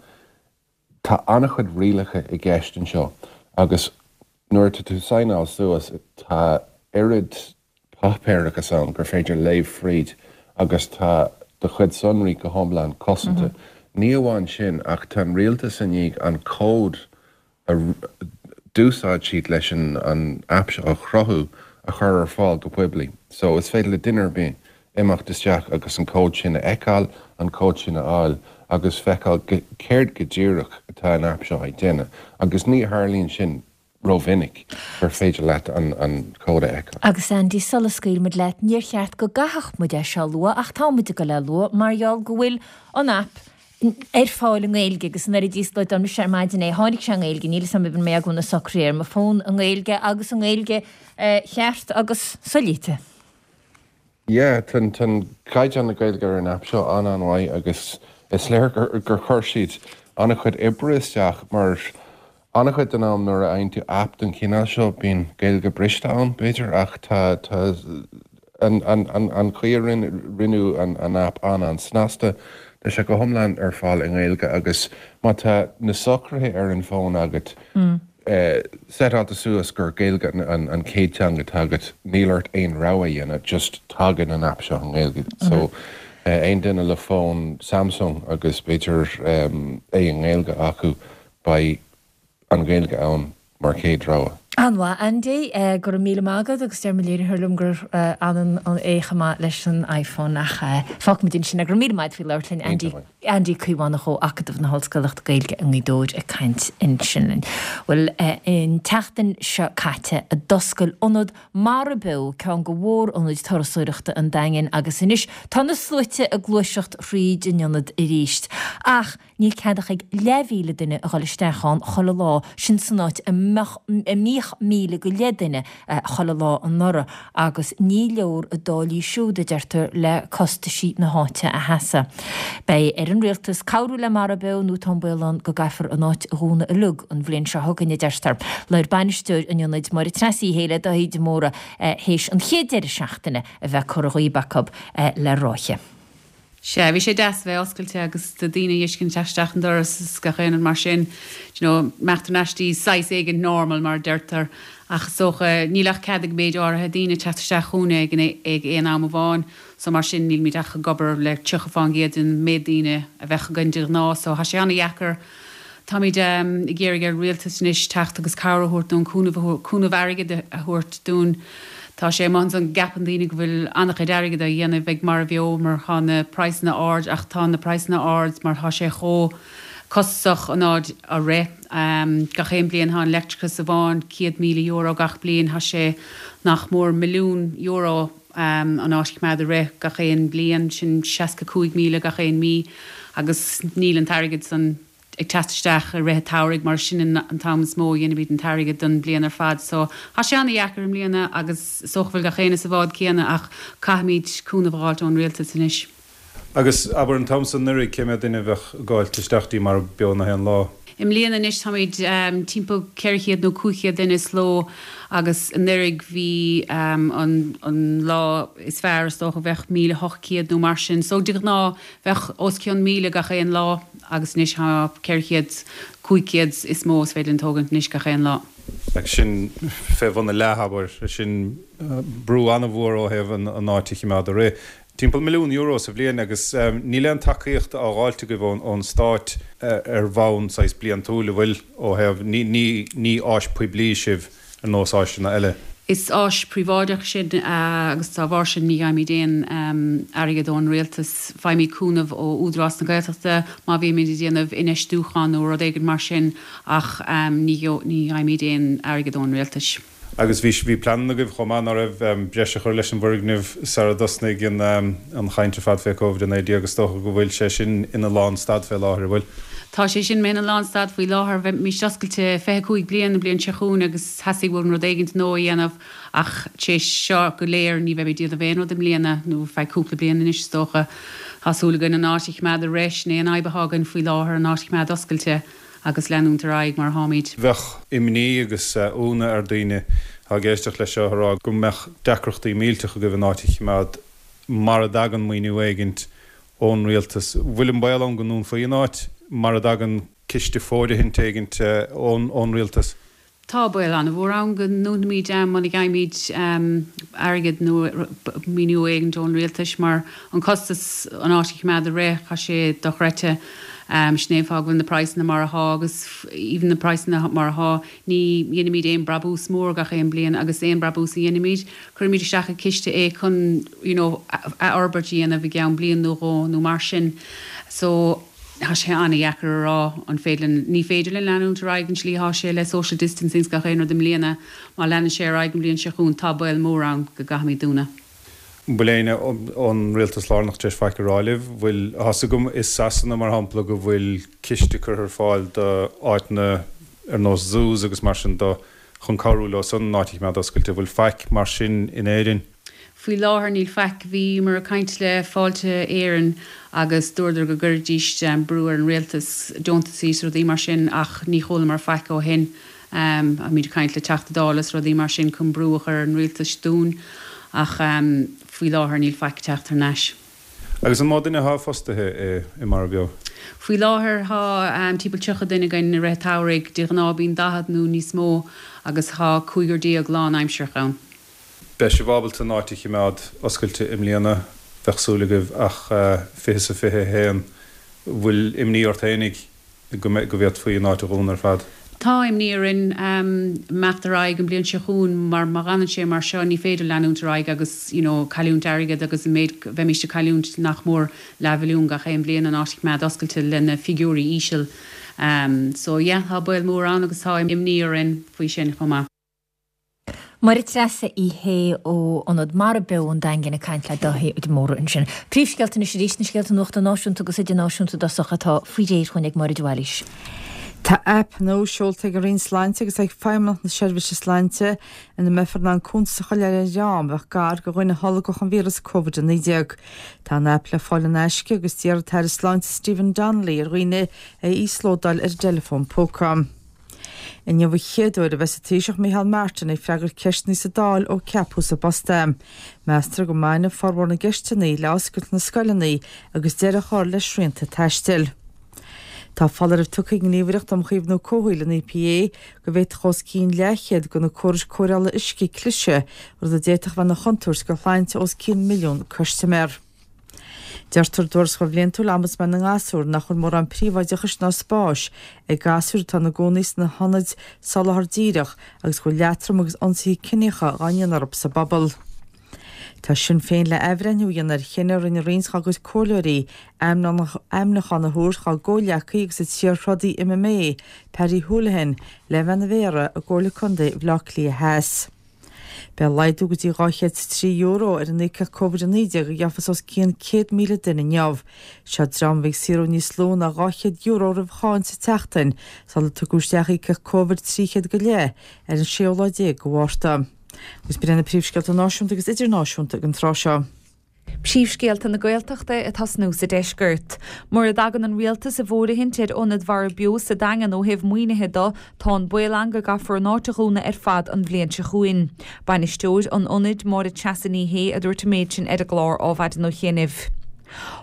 Tá an-chuid rialacha i gceist anseo agus nuair atá tú ag signeáil suas tá oiread páipéarachas ann gur féidir léamh fríd agus tá do chuid sonraí go hiomlán cosanta. Ní amháin sin ach tá an rialtas i ndiaidh an cód a d'úsáid siad leis an aip seo a chruthú a chur ar fáil go poiblí. So is féidir le duine ar bith imeacht isteach agus an cód sin a fheiceáil, an cód sin a fháil agus feiceáil céard go díreach atá an aip seo ag déanamh. Agus ní tharlaíonn sin rómhinic gur féidir leat an cód a fheiceáil. Agus Andy, sula scaoilfidh muid leat, níor cheart go gcaithfeadh muid é seo a lua ach tá muid ag dul é a lua mar gheall go bhfuil an aip ar fáil i nGaeilge agus nuair a d'íoslódáil mise ar maidin é tháinig sé i nGaeilge, níl 'fhios a'm an mbeidh agam na socruithe ar mo fón i nGaeilge agus i nGaeilge cheart agus soléite. Yeah, tá an caighdeán na Gaeilge ar an aip seo an-an-mhaith agus is léir gur chuir siad an-chuid oibre isteach mar an-chuid den am nuair a fhaigheann tú aip den chineál seo bíonn Gaeilge briste ann, b'fhéidir, ach tá tá an an an an chaoi a rinneadh an an aip an-an-snasta. Tá sé go hiomlán ar fáil i nGaeilge agus má tá na socruithe ar an bhfón agat, seiteáilte suas gur Gaeilge an chéad teanga atá agat, níl ort aon rogha a dhéanamh, just tagann an aip seo i nGaeilge. So, aon duine le fón Samsung agus b'fhéidir é i nGaeilge acu, beidh an Ghaeilge ann mar chéad rogha. An-mhaith, Andy. Go raibh míle maith agat agus deir mo léiritheoir liom gur ionann é chomh maith leis an iPhone ach fágfaimid ansin é. Go raibh míle maith agat faoi labhairt linn, Andy. Andy Caomhánach ó Acadamh na hOllscoileachta Gaeilge i nGaoth Dobhair ag caint ansin linn. Bhuel, an tseachtain seo caite a d'oscail Ionad Mara Beo, ceann de mhór-ionaid turasóireachta an Daingin agus anois tá na sluaite ag gluaiseacht thríd an ionad arís. Ach níl cead ach ag leathmhíle duine a dhul isteach ann chuile lá, sin san áit a mbeadh, a mbíodh 1,000 go leith duine chuile lá anuraidh. Agus ní leor a dtáillí siúd, a deirtear, le costaisí na háite a sheasamh. Beidh ar an rialtas cabhrú le Mara Beo nó tá an baol ann go gcaithfear an áit a dhúnadh uilig an bhliain seo chugainn, a deirtear. Labhair bainisteoir an ionaid, Máire Treasa Uí Shé le Dáithí de Mórdha théis an chéad deireadh seachtaine a bheith curtha dhíob acu le ráithe. Sea, bhí sé deas a bheith oscailte agus do daoine a fheiscint teacht isteach an doras is gach aon rud mar sin, do you know, imeacht thar n-ais dtí saghas éigint normal mar a deirtear ach is dócha níl ach cead ag méid áirithe daoine teacht isteach chugainne ag an ag aon am amháin so mar sin nílimid ach ag obair le 30% den méid daoine a bheadh againn de ghnáth so tá sé an-dheacair Táimid ag iarraidh ar an rialtas anois teacht agus cabhair a thabhairt dúinn, cúnamh a thabhairt, cúnamh airgid a thabhairt dúinn. Tá sé amuigh ansan go gceapann daoine go bhfuil an-chuid airgid á dhéanamh ag Mara Bheo mar tá na praghsanna ard ach tá na praghsanna ard mar tá sé chomh costasach an áit a rith. Gach aon bliain tá an leictreachas amháin €100,000 gach bliain, tá sé nach mór milliún euro an áit a choimeád ag rith gach aon bliain, sin 65,000 gach aon mí agus níl an t-airgead san ag teacht isteach i rith an tsamhraidh mar sin an t-am is mó a dhéanaimid an t-airgead don bhliain ar fad. So tá sé ana-dheacair i mbliana agus is dócha go bhfuil gach éinne sa bhád céanna ach caithfimid cúnamh a dh'fháilt ón rialtas anois. Agus abair an t-am san anuraidh cé mhéad duine a bheadh ag gabháilt isteach dtí Mara Beo na haon lá? I mbliana anois táimid timpeall 400 nó 500 duine sa ló agus anuraidh bhí an an lá is fearr is dócha bheadh 1,800 nó mar sin. So de ghnáth bheadh os cionn 1,000 gach aon lá agus anois tá 400, 500 is mó is féidir linn tógaint anois gach aon lá. Agus sin fé bhun a leath, abair. Sin brú an-mhór ó thaobh an áit a chimeád ag rith. Timpeall €1 milliún sa bhliain agus níl aon tacaíocht á dh'fháilt agaibh ón Stát ar bhonn saghas bliantúil, an bhfuil, ó thaobh, ní, ní, ní áis poiblí sibh ar nós áiseanna eile. Is áis príobháideach sinn agus dá bharr sin ní fhaighimid aon airgead ón rialtas. Faighimid cúnamh ó Údarás na Gaeltachta má bhímid ag déanamh infheistiúchán nó rud éigin mar sin ach ní fhaighimid aon airgead ón rialtas. Agus bhí, bhí pleananna agaibh chomh maith, ná raibh, breis a chur leis an bhfoirgneamh sara dtosnaigh an, an chaint ar fad fé Covid-19. Is dócha go bhfuil sé sin ina lánstad fé láthair, an bhfuil? Tá sé sin ina lánstad faoi láthair. Bheimís oscailte 25 bliain an bhliain seo chugainn agus theastaigh uainn rud éigint nua a dhéanamh ach tar éis seo go léir ní bheimid ag déanamh aon rud i mbliana nó feadh cúpla bliain anois is dócha. Tá súil againn an áit a choimeád ag rith, sin é an fhadhb atá againn faoi láthair, an áit a choimeád oscailte. agus leanúint ar aghaidh mar atáimid. Bheadh imní agus ionadh ar daoine atá ag éisteacht leis seo a rá go mbeadh deacrachtaí millteach agaibh an áit a chimeád mara dtagann maoiniú éigint ón rialtas. Bhfuil an baol ann go ndúnfaí an áit mara dtagann ciste fóirithint éigint ón rialtas? Tá baol an-mhór ann go ndúnfaimid muna bhfaighimid airgead nó maoiniú éigint ón rialtas mar an costas an áit a choimeád ag rith, tá sé dochreidte. Sin é an fáth go bhfuil na praghsanna mar athá agus even na praghsanna mar athá ní dheinimid aon brabús mór gach aon bliain agus aon brabús a dheinimid, cuirimid isteach i ciste é chun you know athfhorbairt a dhéanamh i gceann bliain nó dhó nó mar sin. So. Tá sé an-dheacair a rá an féidir linn, ní féidir linn leanúint ar aghaidh an tslí atá sé le social distancing 's gach aon rud i mbliana. Má leanann sé ar aghaidh an bhliain seo chugainn tá baol mór ann go gcaithfimid dúnadh. An bhfuil éinne ón rialtas lárnach tar éis faic a rá libh? Bhfuil, tá 's agam i Sasana mar shampla go bhfuil ciste curtha ar fáil do áiteanna ar nós zoos agus mar sin do chun cabhrú leo san an áit a choimeád oscailte. Bhfuil faic mar sin in Éirinn? Faoi láthair níl faic. Bhíomar ag caint le Fáilte Éireann agus dúradar go gcuirfidís brú ar an rialtas, deontasaí is rudaí mar sin ach ní chualamar faic ó shin. Táimid ag caint le Teachta Dála is rudaí mar sin chun brú a chur ar an rialtas dúinn ach faoi láthair níl faic ag teacht thar n-ais. Agus an mó duine atá fostaithe i Mara Beo? Faoi láthair tá timpeall 30 duine againn i rith an tsamhraidh. De ghnáth bíonn 40 nó níos mó agus tá cúigear déag lán-aimsearach ann. Beidh sibh ábalta an áit a chimeád oscailte i mbliana, bheadh súil agaibh, ach 20 is a 21, bhfuil imní ort fhéinig go go bhféadfaí an áit a dhúnadh ar fad? Tá imní orainn imeacht ar aghaidh an bhliain seo chugainn mar má fhanann sé mar seo ní féidir leanúint ar aghaidh agus you know cailliúint airgead agus an méid bheimíst ag cailliúint nach mór leathmhilliún gach aon bhliain an áit a choimeád oscailte le na figiúirí íseal. So yeah tá baol mór ann agus tá imní orainn faoi sin chomh maith. Máire Treasa Uí Shé ó Ionad Mara Beo an Daingin ag caint le Dáithí de Mórdha ansin. Príomhscéalta anois arís, na scéalta nuachta náisiúnta agus idirnáisiúnta i dtosach atá faoi réir chugainn ag Máire de Bhailís. Tá aip nua seolta ag an Roinn Sláinte agus ag Feidhmeannacht na Seirbhíse Sláinte ina mbeifear in ann cuntas a choinneáil ar dhream a bheadh gar do dhuine a tholgfadh an víreas Covid-19. Tá an aip le fáil in aisce agus d'iarr an tAire Sláinte Stephen Donnelly ar dhaoine é a íoslódáil ar a dteileafón póca. Inniu an chéad uair a bheas an Taoiseach Micheál Martin ag freagairt ceisteanna sa Dáil ó ceapadh sa bpost é. Meastar go mbainfidh formhór na gceisteanna le oscailt na scoileanna agus deireadh a chur le srianta taistil. Tá foláireamh tugtha ag an nGníomhaireacht um Chaomhnú Comhshaoil, an EPA, go bhféadfadh os cionn leathchéad de na córais cóireála uisce cliseadh, rud a d'fhéadfadh a bheith ina chontúirt do shláinte os cionn milliún custaiméir. Deirtear i dtuarascáil bhliantúil Ombudsman na nGasúr nach bhfuil mórán príobháideachais ná spáis ag gasúir atá ina gcónaí sna hionaid soláthar díreach agus go bhfuil leatrom agus ionsaithe ciníocha dhá ndéanamh orthu sa bpobal. Tá Sinn Féin le athbhreithniú a dhéanamh ar chinneadh a rinne roinnt dá gcuid comhairleoirí ainmniúchán a thabhairt dá gcomhghleacaí agus an t-iar-throdaí MMA, Paddy Holohan, le bheith ina mhéara i gComhairle Contae Bhaile Átha Cliath Theas. Beidh laghdú go dtí €203 ar an íocaíocht Covid-19 a gheofas os cionn 100,000 duine inniu. Seo dream a bhí ag saothrú níos lú ná €200 roimh cháin sa tseachtain sular tugadh isteach íocaíocht Covid 300 go leith ar an séú lá déag de Mhárta. Agus b'in iad na príomhscéalta náisiúnta agus idirnáisiúnta ag an tráth seo. Príomhscéalta na Gaeltachta ag tosnú sa deisceart. Mura dtagann an Rialtas i bhfóirithint ar Ionad Mhara Beo sa Daingean ó thaobh maoinithe do, tá an baol ann go gcaithfear an áit a dhúnadh ar fad an bhliain seo chugainn. Bainisteoir an ionaid, Máire Treasa Ní Shé, a dúirt an méid sin ar an gclár Ádhmhaidin Ó Chianaibh.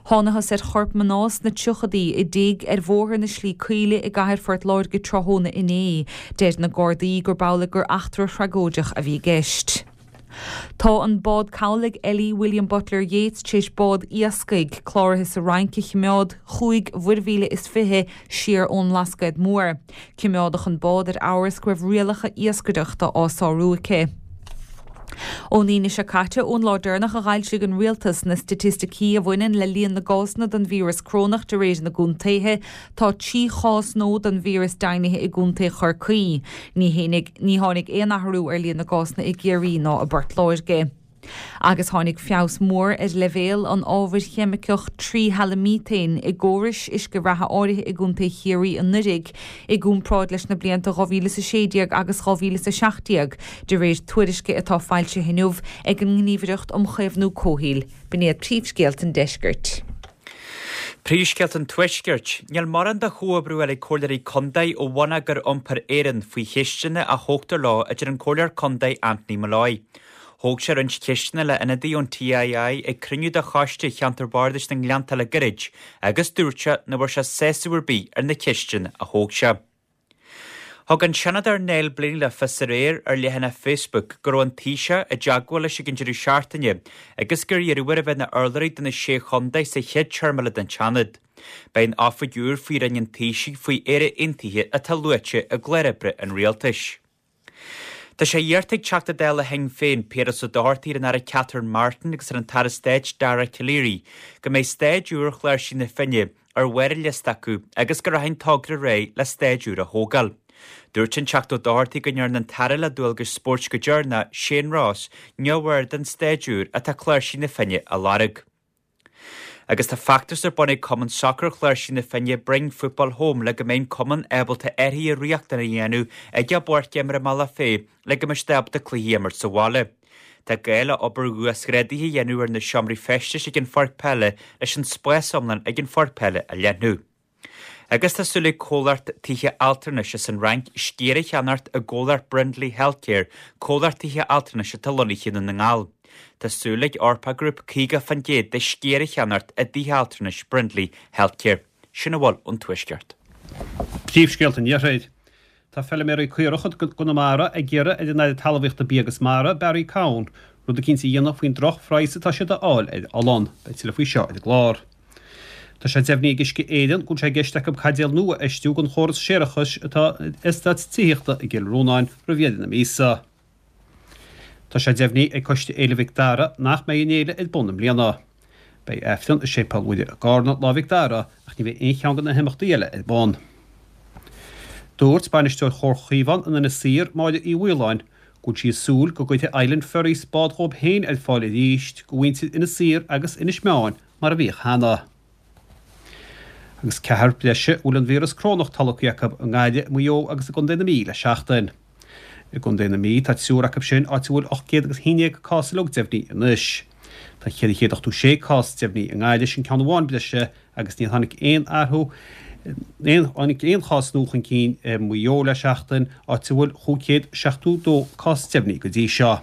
Thánathas ar chorp mná sna tríochadaí i dtigh ar Bhóthar na Slí Caoile i gcathair Phort Láirge tráthnóna inné. Deir na Gardaí gurb amhlaidh gur eachtra thragóideach a bhí i gceist. Tá an bád cabhlaigh LE William Butler Yeats tar éis bád iascaigh, cláraithe sa Fhrainc, a choimeád chúig mhuirmhíle is fiche siar ón mBlascaod Mór. Coimeádadh an bád ar amhras go raibh rialacha iascaireachta á sárú aici. Ón Aoine seo caite, ón lá deireanach a dh'fhoilsigh an Rialtas na staitisticí a bhaineann le líon na gcásanna den víreas corónach de réir na gcontaetha, Tá 3 chás nua den víreas deimhnithe i gContae Chorcaí. Ní ní tháinig aon athrú ar líon na gcásanna i gCiarraí ná i bPort Láirge. Agus tháinig feabhas mór ar leibhéal an ábhair cheimiceach tríhalaimíotéin i gcórais uisce reatha áirithe i gContae Chiarraí anuraidh i gcomparáid leis na blianta 2016 agus 2017, de réir tuairisce atá foilsithe inniu ag an nGníomhaireacht um Chaomhnú Comhshaoil. B'in iad príomhscéalta an deiscirt. Príomhscéalta an Tuaiscirt. Níl mórán de chomhoibriú eile ag Comhairleoirí Contae ó Bhonneagar Iompair Éireann faoi cheisteanna a thógtar leo a deir an Comhairleoir Contae Anthony Molloy. Thóg sé roinnt ceisteanna le ionadaí ón TII ag cruinniú de Choiste Cheantar Bardais na nGleannta le gairid agus dúirt sé nach bhfuair sé sásamh ar bith ar na ceisteanna a thóg sé. Thug an Seanadóir Niall Blaney le fios aréir ar leathanach Facebook go raibh an Taoiseach i dteagmháil leis ag an deireadh seachtaine agus gur iarradh air a bheith ina urlabhraí do na Sé Chontae sa chéad téarma eile den tSeanad. Beidh an oifig úr faoi Roinn an Taoisigh faoi Éire Aontaithe atá luaite i gclár oibre an Rialtais. Tá sé iarrta ag Teachta Dála Shinn Féin, Piaras Ó Dochartaigh ar an Aire Catherine Martin agus ar an tAire Stáit Dara Calleary go mbeidh staid úr Chláirsigh na Finne ar bharr a liosta acu agus go rachaidh an togra ar aghaidh le staid úr a thógáil. Dúirt an Teachta Ó Dochartaigh go ndearna an tAire le dualgais spóirt go deireanach, Shane Ross, neamhaird den staid úr atá Cláirsigh na Finne a lorg. Agus tá feachtas ar bun ag Cumann Sacair Chláirsigh na Finne Bring Football Home le go mbeidh an cumann ábalta athruithe riachtanacha a dhéanamh ag a bpáirc imeartha i mBealach Féich le go mbeidh siad ábalta cluichí a imirt sa bhaile. Tá gá le obair uasghrádaithe a dhéanamh ar na seomraí feistis ag an pháirc peile leis an spás iomlán ag an pháirc peile a leathnú. Agus tá súil ag comhlacht tithe altranais as an Fhrainc sciar a cheannacht i gcomhlacht Brindley Healthcare, comhlacht tithe altranais atá lonnaithe i nDún na nGall. Tá súil ag Orpah Group 50% de sciar a cheannacht i dtithe altranais Brindley Healthcare. Sin a bhfuil ón Tuaisceart. Príomhscéalta an Iarthair. Tá feiliméaraí caorach i gConamara ag iarraidh ar an Aire Talmhaíochta Bia agus Mara, Barry Cowen, rud eicínt a dhéanamh faoin droch-phraghas atá siad a fháil ar olann. Beidh tuilleadh faoi seo ar an gclár. Tá sé deimhnithe ag Uisce Éireann go bhfuil sé i gceist acu caidéal nua a fheistiú don chóras séarachais atá ar eastát tithíochta i gCill Rónáin roimh dheireadh na míosa. Tá sé deimhnithe ag Coiste Fhéile Mhic Dara nach mbeidh an fhéile ar bun i mbliana. Beidh Aifreann i Séipéal Mhuire i gCarna, Lá Mhic Dara, ach ní bheidh aon cheann de na himeachtaí eile ar bun. Dúirt bainisteoir Chomhar Chaomhán in Inis Oírr, Máire Uí Mhaoláin, go bhfuil sí ag súil go gcuirfidh Island Ferries bád dhóibh féin ar fáil arís do mhuintir Inis Oírr agus Inis Meáin mar a bhíodh cheana. Agus ceathrar breise a bhfuil an víreas corónach tolgtha acu i nGaillimh, i Maigh Eo agus i gContae na Mí le seachtain. I gContae na Mí tá triúr acu sin, áit a bhfuil 811 cás uilig deimhnithe anois. Tá 486 cás deimhnithe i nGaillimh, sin ceann amháin breise, agus níor tháinig aon athrú aon tháinig aon chás nua chun cinn i Maigh Eo le seachtain, áit a bhfuil 572 cás deimhnithe go dtí seo.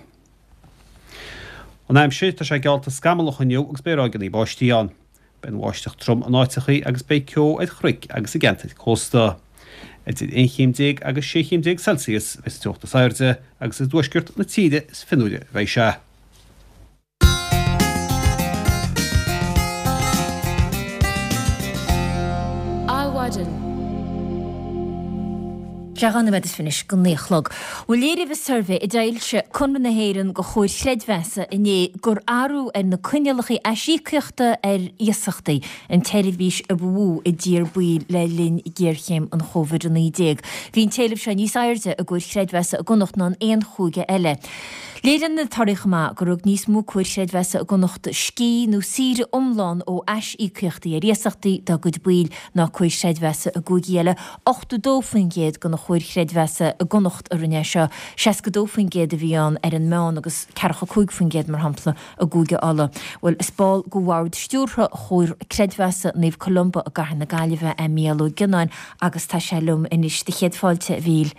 An aimsir, tá sé geallta scamallach inniu agus beidh ráigeanna báistí ann. Beidh an bháisteach trom in áiteachaí agus beidh ceo ar chnoic agus i gceantair cósta. Idir 11 chéim agus 16 chéim Celsius a bheidh sa teocht is airde agus i dtuaisceart na tíre is fionnuaire a bheidh sé. Adhmhaidin. Sé 2 nóiméad is fiche anois go 9 a chlog. Bhuel léirigh an suirbhé a d'fhoilsigh Conradh na hÉireann do Chomhair Chreidmheasa inné gur athrú ar na coinníollacha aisíocaíochta ar iasachtaí an tseirbhís a ba mhó a d'iarr baill le linn ghéarchéim an Chóvid-19. Bhí an t-éileamh seo níos airde i gcomhair chreidmheasa i gConnacht ná in aon chúige eile. Léiríonn na torthaí chomh maith gur thug níos mó comhair chreidmheasa i gConnacht scíth nó saoire iomlán ó aisíocaíochtaí ar iasachtaí dá gcuid baill ná comhair chreidmheasa i gcúigí eile, 82% de na. chomhair chreidmheasa i gConnacht a rinne é seo, 62% a bhí ann ar an meán agus 45% mar shampla i gCúige Uladh. Bhuel, is ball de bhord stiúrtha Chomhar Creidmheasa Naomh Columba i gCathair na Gaillimhe é Mícheál Ó Gionnáin agus tá sé liom anois. Do chéad fáilte, a Mhíchíl.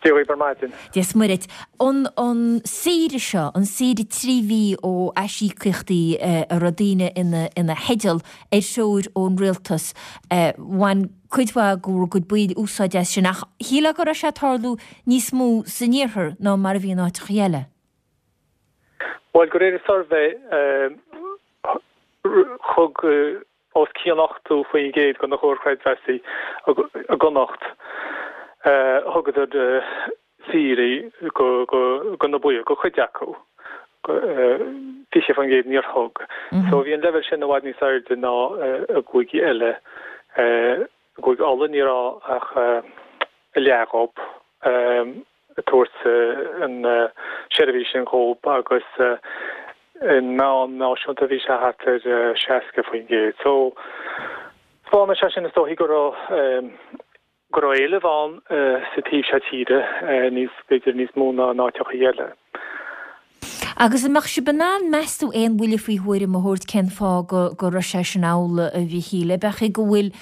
Dia dhaoibh ar maidin. Dia is Muire duit. An an saoire seo, an saoire 3 mhí ó aisíocaíochtaí a raibh daoine ina ina theideal ar threoir ón rialtas, bhain cuid mhaith de bhur gcuid baill úsáid as sin ach shílfeá go raibh sé ag tarlú níos mó san iarthar ná mar a bhí in áiteachaí eile. Bhuel, de réir an suirbhé, thug os cionn 80% de na comhair chreidmheasa i gConnacht, thugadar saoirí do na baill, do chuid acu, 20% níor thug. So bhí an leibhéal sin i bhfad níos airde ná i gcúigí eile. I gCúige Uladh ní raibh ach a leath dhób. ag tabhairt an seirbhís sin dhób agus an meán náisiúnta bhí sé thart ar 60%. So taispeánann sé sin is dóichí go raibh go raibh éileamh ann sa taobh seo tíre níos b'fhéidir níos mó ná in áiteachaí eile. Agus an mbeadh sibh in ann, meas tú, aon bhuille faoi thuairim a thabhairt cén fáth go go raibh sé sin amhlaidh, a Mhichíl? Ab é go bhfuil,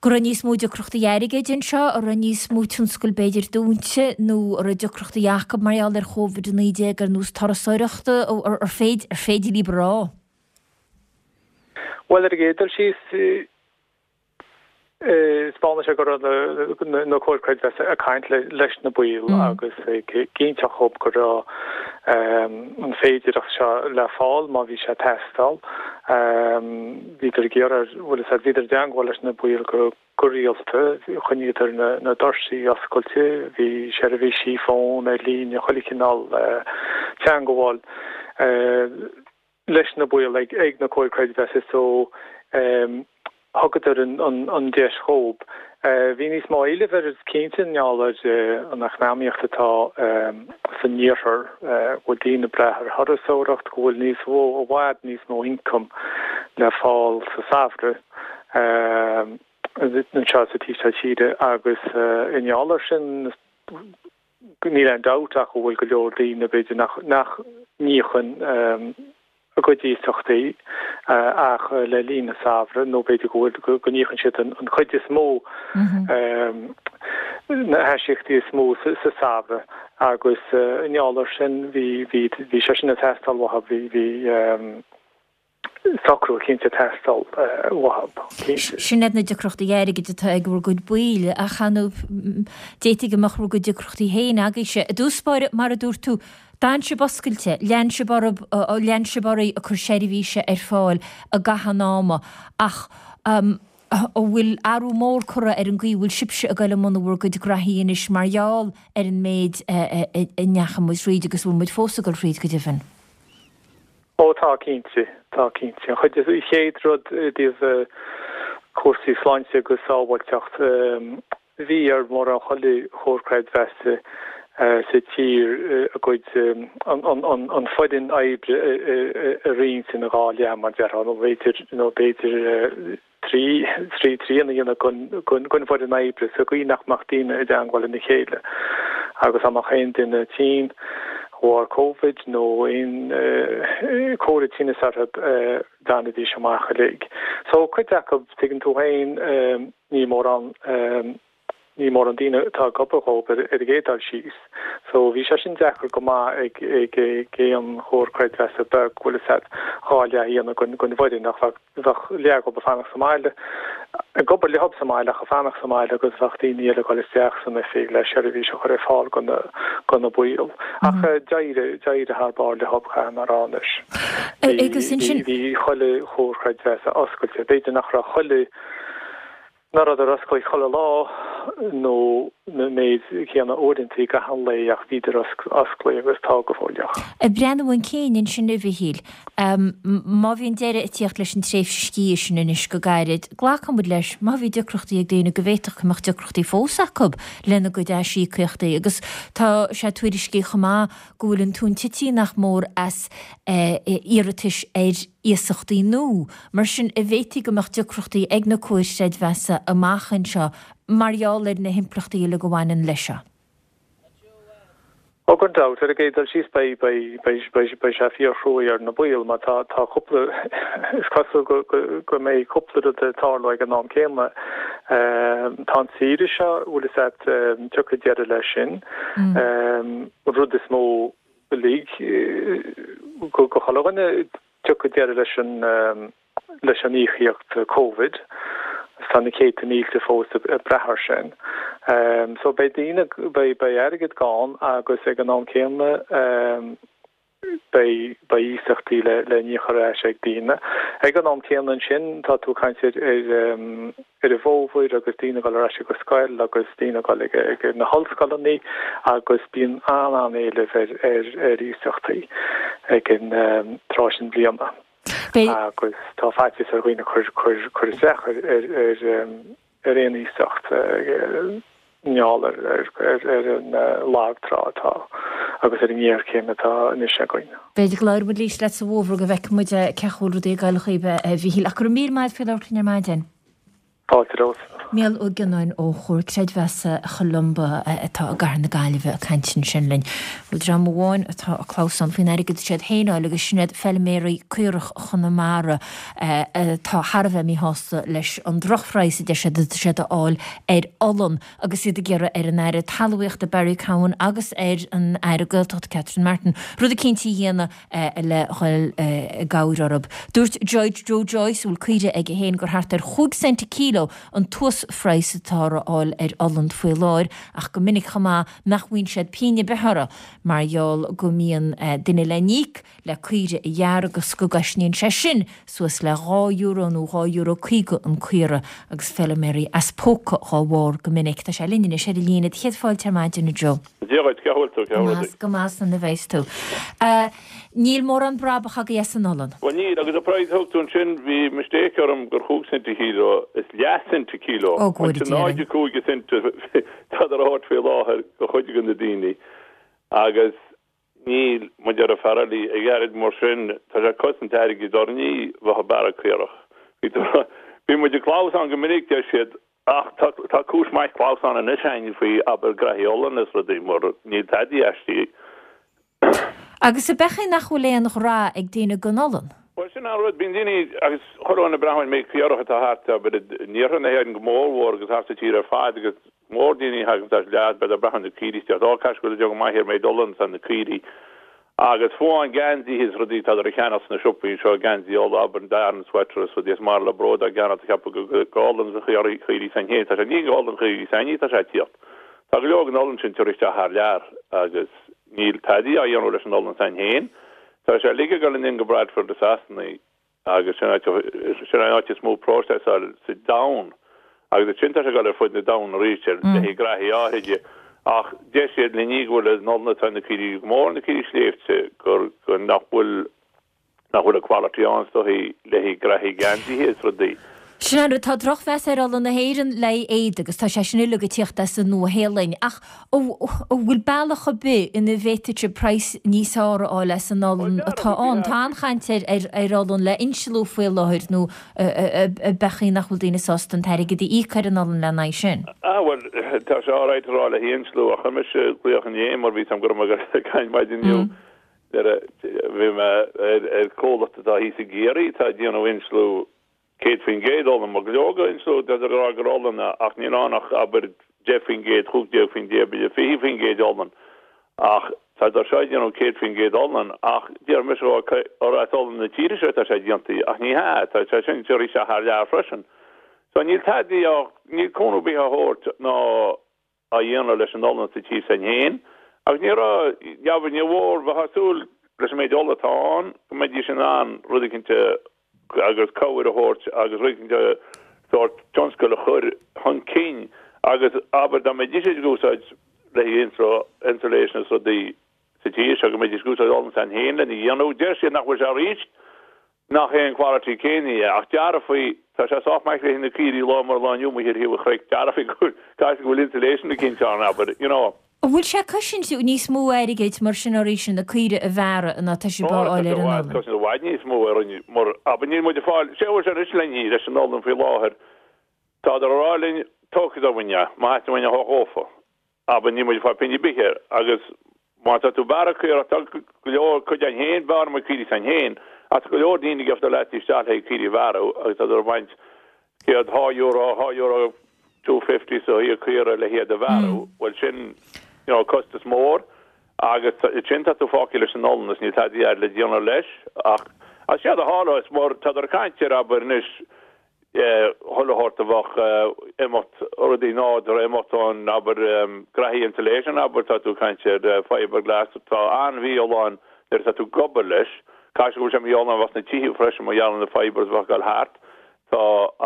go raibh níos mó deacrachtaí airgid anseo, an raibh níos mó tionscail b'fhéidir dúnta nó an raibh deacrachtaí acu mar gheall ar Covid-19 ar nós turasóireachta, ar féidir, ar féidir libh a rá? Bhuel, ar an gcéad dul síos, Taispeánann sé go raibh na comhair creidmheasa ag caint leis na baill agus ag inseacht dhób go raibh an féidireacht seo le fáil má bhí sé ag teastáil. Bhíodar ag iarraidh, bhfuil a fhios agat, bhíodar i dteangmháil leis na baill go rialta, choinníodar na doirsí oscailte, bhí seirbhísí fón ar líne, chuile chineál teangmháil. leis na baill ag na comhair creidmheasa so thugadar an deis dhób. Bhí níos mó éilimh air cinnte i ngeall ar an eacnamaíocht atá san iarthar, go bhfuil daoine ag brath ar thurasóireacht, go bhfuil níos mó, i bhfad níos mó ioncam le fáil sa samhradh anseo sa taobh seo tíre agus i ngeall ar sin Níl aon dabht ach go bhfuil go leor daoine, b'fhéidir, nach n-íocann a gcuid iasachtaí ach le linn an samhraidh nó b'fhéidir go bhfuil, go n-íocann siad an chuid is mó, na haisíocaíochtaí is mó sa samhradh agus i ngeall air sin bhí, bhí, bhí sé sin ag teastáil uathu, bhí, bhí. socrú eicínt ag teastáil uathu, cinnte. Sin iad na deacrachtaí airgid atá ag bhur gcuid baill, ach ar ndóigh, d'fhéadfadh go mbeadh bhur gcuid deacrachtaí féin agaibhse. I dtús báire, mar a dúirt tú, d'fhan sibh oscailte, lean sibh oraibh, lean sibh oraibh ag cur seirbhíse ar fáil i gcaitheamh an ama, ach an bhfuil athrú mór curtha ar an gcaoi a bhfuil sibhse ag dul i mbun bhur gcuid graithí anois mar gheall ar an méid a ndeachaigh muid thríd agus a bhfuil muid fós ag dul thríd, go deimhin? Ó tá, cinnte. Tá, cinnte. An chuid, an chéad rud i dtaobh cúrsaí sláinte agus sábháilteacht, bhí ar mórán chuile chomhar creidmheasa sa tír a gcuid, an foireann oibre a roinnt ina dhá leath, mar déarfá, nó b'fhéidir, nó b'fhéidir, 3 trian a dhéanamh den bhfoireann oibre sa gcaoi nach mbeadh daoine i dteangmháil lena chéile agus dá mbeadh aon duine tinn de bharr Covid nó aon comhartha tinnis orthu d'fhanfaidís amach uilig. So cuid acu, tuigeann tú féin, ní mórán. Ní mórán daoine atá ag obair dhóibh ar an gcéad dul síos. So bhí sé sin deacair go maith ag aon chomhar creidmheasa beag, bhfuil fhios a'd, dhá leath a dhéanamh den bhfoireann ach bheadh leath dhóibh ag fanacht sa mbaile, ag obair leob sa mbaile ach ag fanacht sa mbaile agus bheadh daoine eile ag dul isteach san oifig le seirbhís a chur ar fáil do na, do na baill. Ach d'éirigh, d'éirigh thar barr leob, caithfidh mé a rá anois. Bhí, bhí chuile chomhar creidmheasa oscailte. B'fhéidir nach raibh chuile Nach rabhadar oscailte chuile lá nó na méid céanna uaireantaí gach aon lae ach bhíodar osclaí agus tá go fóilleach. Ag breathnú chun cinn ansin a Mhichíl, má bhíonn deireadh ag tíocht leis an tréimhse scíthe sin anois go gairid, glacfaidh muid leis, má bhí deacrachtaí ag daoine, go bhféadfadh go mbeadh deacrachtaí fós acu lena gcuid aisíocaíochtaí agus tá sé tuairiscithe chomh maith go bhfuil an tóin tite nach mór as iarratais ar iasachtaí nua. Mar sin, an bhféadfaí go mbeadh deacrachtaí ag na comhair chreidmheasa amach anseo. mar gheall ar na himpleachtaí uilig a bhaineann leis seo. Ó gan dabht, ar an gcéad dul síos beidh, beidh, beidh, beidh, beidh sé fíor-chruaidh ar na baill mar tá, tá cúpla, is cosúil go, go, go mbeidh cúpla rud ag tarlú ag an am céanna. Tá an tsaoire seo, bhfuil fhios a't, tiocfaidh deireadh leis sin. An rud is mó uilig, go, go chuile dhuine, tiocfaidh deireadh leis an, leis an íocaíocht Covid agus tá na céadta mílte fós ag brath air sin. So beidh daoine, beidh, beidh airgead gann agus ag an am céanna beidh, beidh iasachtaí le, le n-íoc ar ais ag daoine. Ag an am céanna ansin tá tú ag caint ar, ar, ar an bhfómhar agus daoine ag dul ar ais ag an scoil agus daoine ag dul ag, ag na hollscoileanna agus bíonn an-an-éileamh ar, ar, ar iasachtaí ag an tráth sin bliana. Agus tá faitíos ar dhaoine cur cur isteach ar ar aon iasacht i ngeall ar ar an lagtrá atá agus ar an ngéarchéim atá anois againn. B'fhéidir go labhróidh muid arís leat sa bhfómhar go bhfeicfidh muid cén chaoi a bhfuil rudaí ag dul dhaoibh a Mhíchíl. Ach go raibh míle maith agat faoi labhairt linn ar maidin. Fáilte romhat. Mícheál Ó Gionnáin ó Chomhar Creidmheasa Cholumba atá i gCathair na Gaillimhe ag caint ansin linn. Bhuel dream amháin atá ag clamhsán faoin airgead atá siad féin a fháil agus sin iad feilméaraí caorach Chonamara atá thar a bheith míshásta leis an drochphraghas a deir siad atá siad a fháil ar olann agus iad ag iarraidh ar an Aire Talmhaíochta Barry Cowen agus ar an Aire Gaeltachta Catherine Martin rud eicínt a dhéanamh le dhul i gcabhair orthu. Dúirt Joe Joyce, a bhfuil caoirigh aige féin, gur thart ar chúig cent an kíló an t-uasphraghas atáthar a fháil ar olann faoi láthair ach go minic chomh maith nach bhfaigheann siad pingin ar bith orthu mar gheall go mbíonn duine le n-íoc le caoirigh a ghearradh agus go gcosnaíonn sé sin suas le €2 nó €2.50 an caora agus feilméaraí as póca dhá bharr go minic. Tá sé linn anois ar an líne. Do chéad fáilte ar maidin, a Joe. Dia dhuit, cén chaoi a bhfuil tú, cén chaoi rudaí? Go maith, conas a bheas tú. Níl mórán brabach agaibh as an olann. Bhuel níl, agus an praghas a thug tú ansin, bhí mistake orm gur chúig cent an kíló, is leath cent an kíló. Ó, go bhfóire Dia orainn. 0.05 cent atá á thabhairt faoi láthair do chuid de na daoine agus níl, mar a deir Farrelly, ag airgead mar sin, tá sé ag cosaint airgid orainn bheith ag bearradh caorach. Bhí muid ag clamhsán go minic, deir siad, Ach tá cúis maith clamhsán anois againn faoi, abair, graithí olann is rudaí, mar níl tadaí aisti. Agus ab é nach bhfuil aon ghrá ag daoine don olann? Bhuel, sin an rud, bíonn daoine, agus chuile dhuine ag breathnú ar an méid caorach atá thart, abair, in iarthar na hÉireann go mórmhór agus thart sa tír ar fad agus mór daoine a thagann as leath, beidh ag breathnú ar na caoirigh isteach, ó, caithfidh go bhfuil go maith ar méid olann atá na caoirigh. Agus fiú amháin geansaithe is rudaí atá á cheannach sna siopaí anseo, geansaí olla, abair, an Aran sweater is rudaí is maith le bród á gceannach ag ceapadh gur go olann na caoirigh s'againn féin atá sé. Ní go olann chaoirigh s'againne atá sé ag tíocht. Tá go leor den olann sin ag teacht isteach thar lear agus níl tadaí á dhéanamh leis an olann s'againn féin. Tá sé uilig ag dul anonn go Bradford i Sasana. agus sin sin an áit is mó próiseáil sa domhan agus ansin tá sé ag dul ar fud na domhan arís ar le haghaidh graithí áithride ach deir siad linn go bhfuil an olann atá na caoirigh go mór na caoirigh sléibhte gur go nach bhfuil nach bhfuil an quality ann is dóichí le haghaidh graithí geansaithe is rudaí. Sin an rud, tá drochmheas ar olann na hÉireann le haghaidh éadaigh agus tá sé sin uilig ag tíocht as an Nua-Shéalainn. Ach an bhfuil bealach ar bith ina bhféadfadh sibh praghas níos fearr a fháil as an olann atá ann? Tá an-chaint ar olann le insealú faoi láthair nó ab é nach bhfuil daoine sásta an t-airgead a íoc ar an olann lena aghaidh sin? Ah bhuel, tá sé alright a rá le haghaidh insealú ach chuir mise glaoch inné mar bhí 'fhios a'm go raibh mé ag caint maidin inniu. Bhí mé ar comhlacht atá thíos i gCiarraí atá ag déanamh insealú 100% olann, mar go leor go insealú, tá siad ag rá gur olann é, ach níl ann ach, abair, 10%, 15%, b'fhéidir 20% olann, ach tá siad seo ag déanamh 100% olann, ach déarfaidh mise gur as olann na tíre seo atá sé déanta, ach ní hea, tá sé sin ag isteach thar lear freisin. So níl tadaí á, níl cúnamh ar bith á thabhairt ná. á dhéanamh leis an olann sa tír s'againn féin, agus ní raibh, dheamhan, níor mhór, bheifeá ag súil leis an méid olla atá ann, go mbeidís in ann rud eicínt a, agus cabhair a thabhairt agus rud eicínt a, sórt tionscal a chur chun cinn agus abair dá mbeidís ag úsáid le haghaidh insulation is rudaí sa tír seo, go mbeidís ag úsáid olann s'againn féin lena dhéanamh. Deir siad nach bhfuil sé arís. Nach é an quality céanna é, ach déarfaí, tá sé sách maith le na caoirigh lá mar lá inniu amuigh ar thaobh an chnoic, déarfaí go bhfuil, caithfidh go bhfuil insulation eicínt ann, abair, you know. An bhfuil sé ag cosaint níos mó airgid mar sin arís na caoirigh a bhearradh ná tá sibh á fháil ar an olann? Cosaint i bhfad níos mó orainn mar, abair, níl muid ag fáil, sé a bhfuil sé anois linn leis an olann faoi láthair, Tádar a rá linn. Tógfaidh siad uainn é, má theastaíonn uainn é a thabhairt dhófa. Abair, níl muid ag fáil pingin ar bith air. Agus má tá tú ag bearradh caorach, tá go leor, cuid againn féin, bearrann muid caoirigh s'againn féin, ach tá go leor daoine ag dul leat isteach le haghaidh caoirigh a bhearradh agus tá ag baint céad, dhá euro, dhá euro, 2.50 sa thaobh caora le hiad a bhearradh, bhuel sin, you know, costas mór agus sin tá tú fágtha leis an olann is níl tada eile le déanamh leis ach as séard a tharla is mar tádar ag caint ar abair anois chuile shórt a bheadh imeacht rudaí nádúrtha imeacht ón abair graithí insulation abair tá tú ag caint ar fiberglass atá an-mhífholláin nuair atá tú ag obair leis caithfidh sé go bhfuil sé mífholláin a bheith sna tithe freisin mar gheall ar na fibers a bheadh ag dul thart tá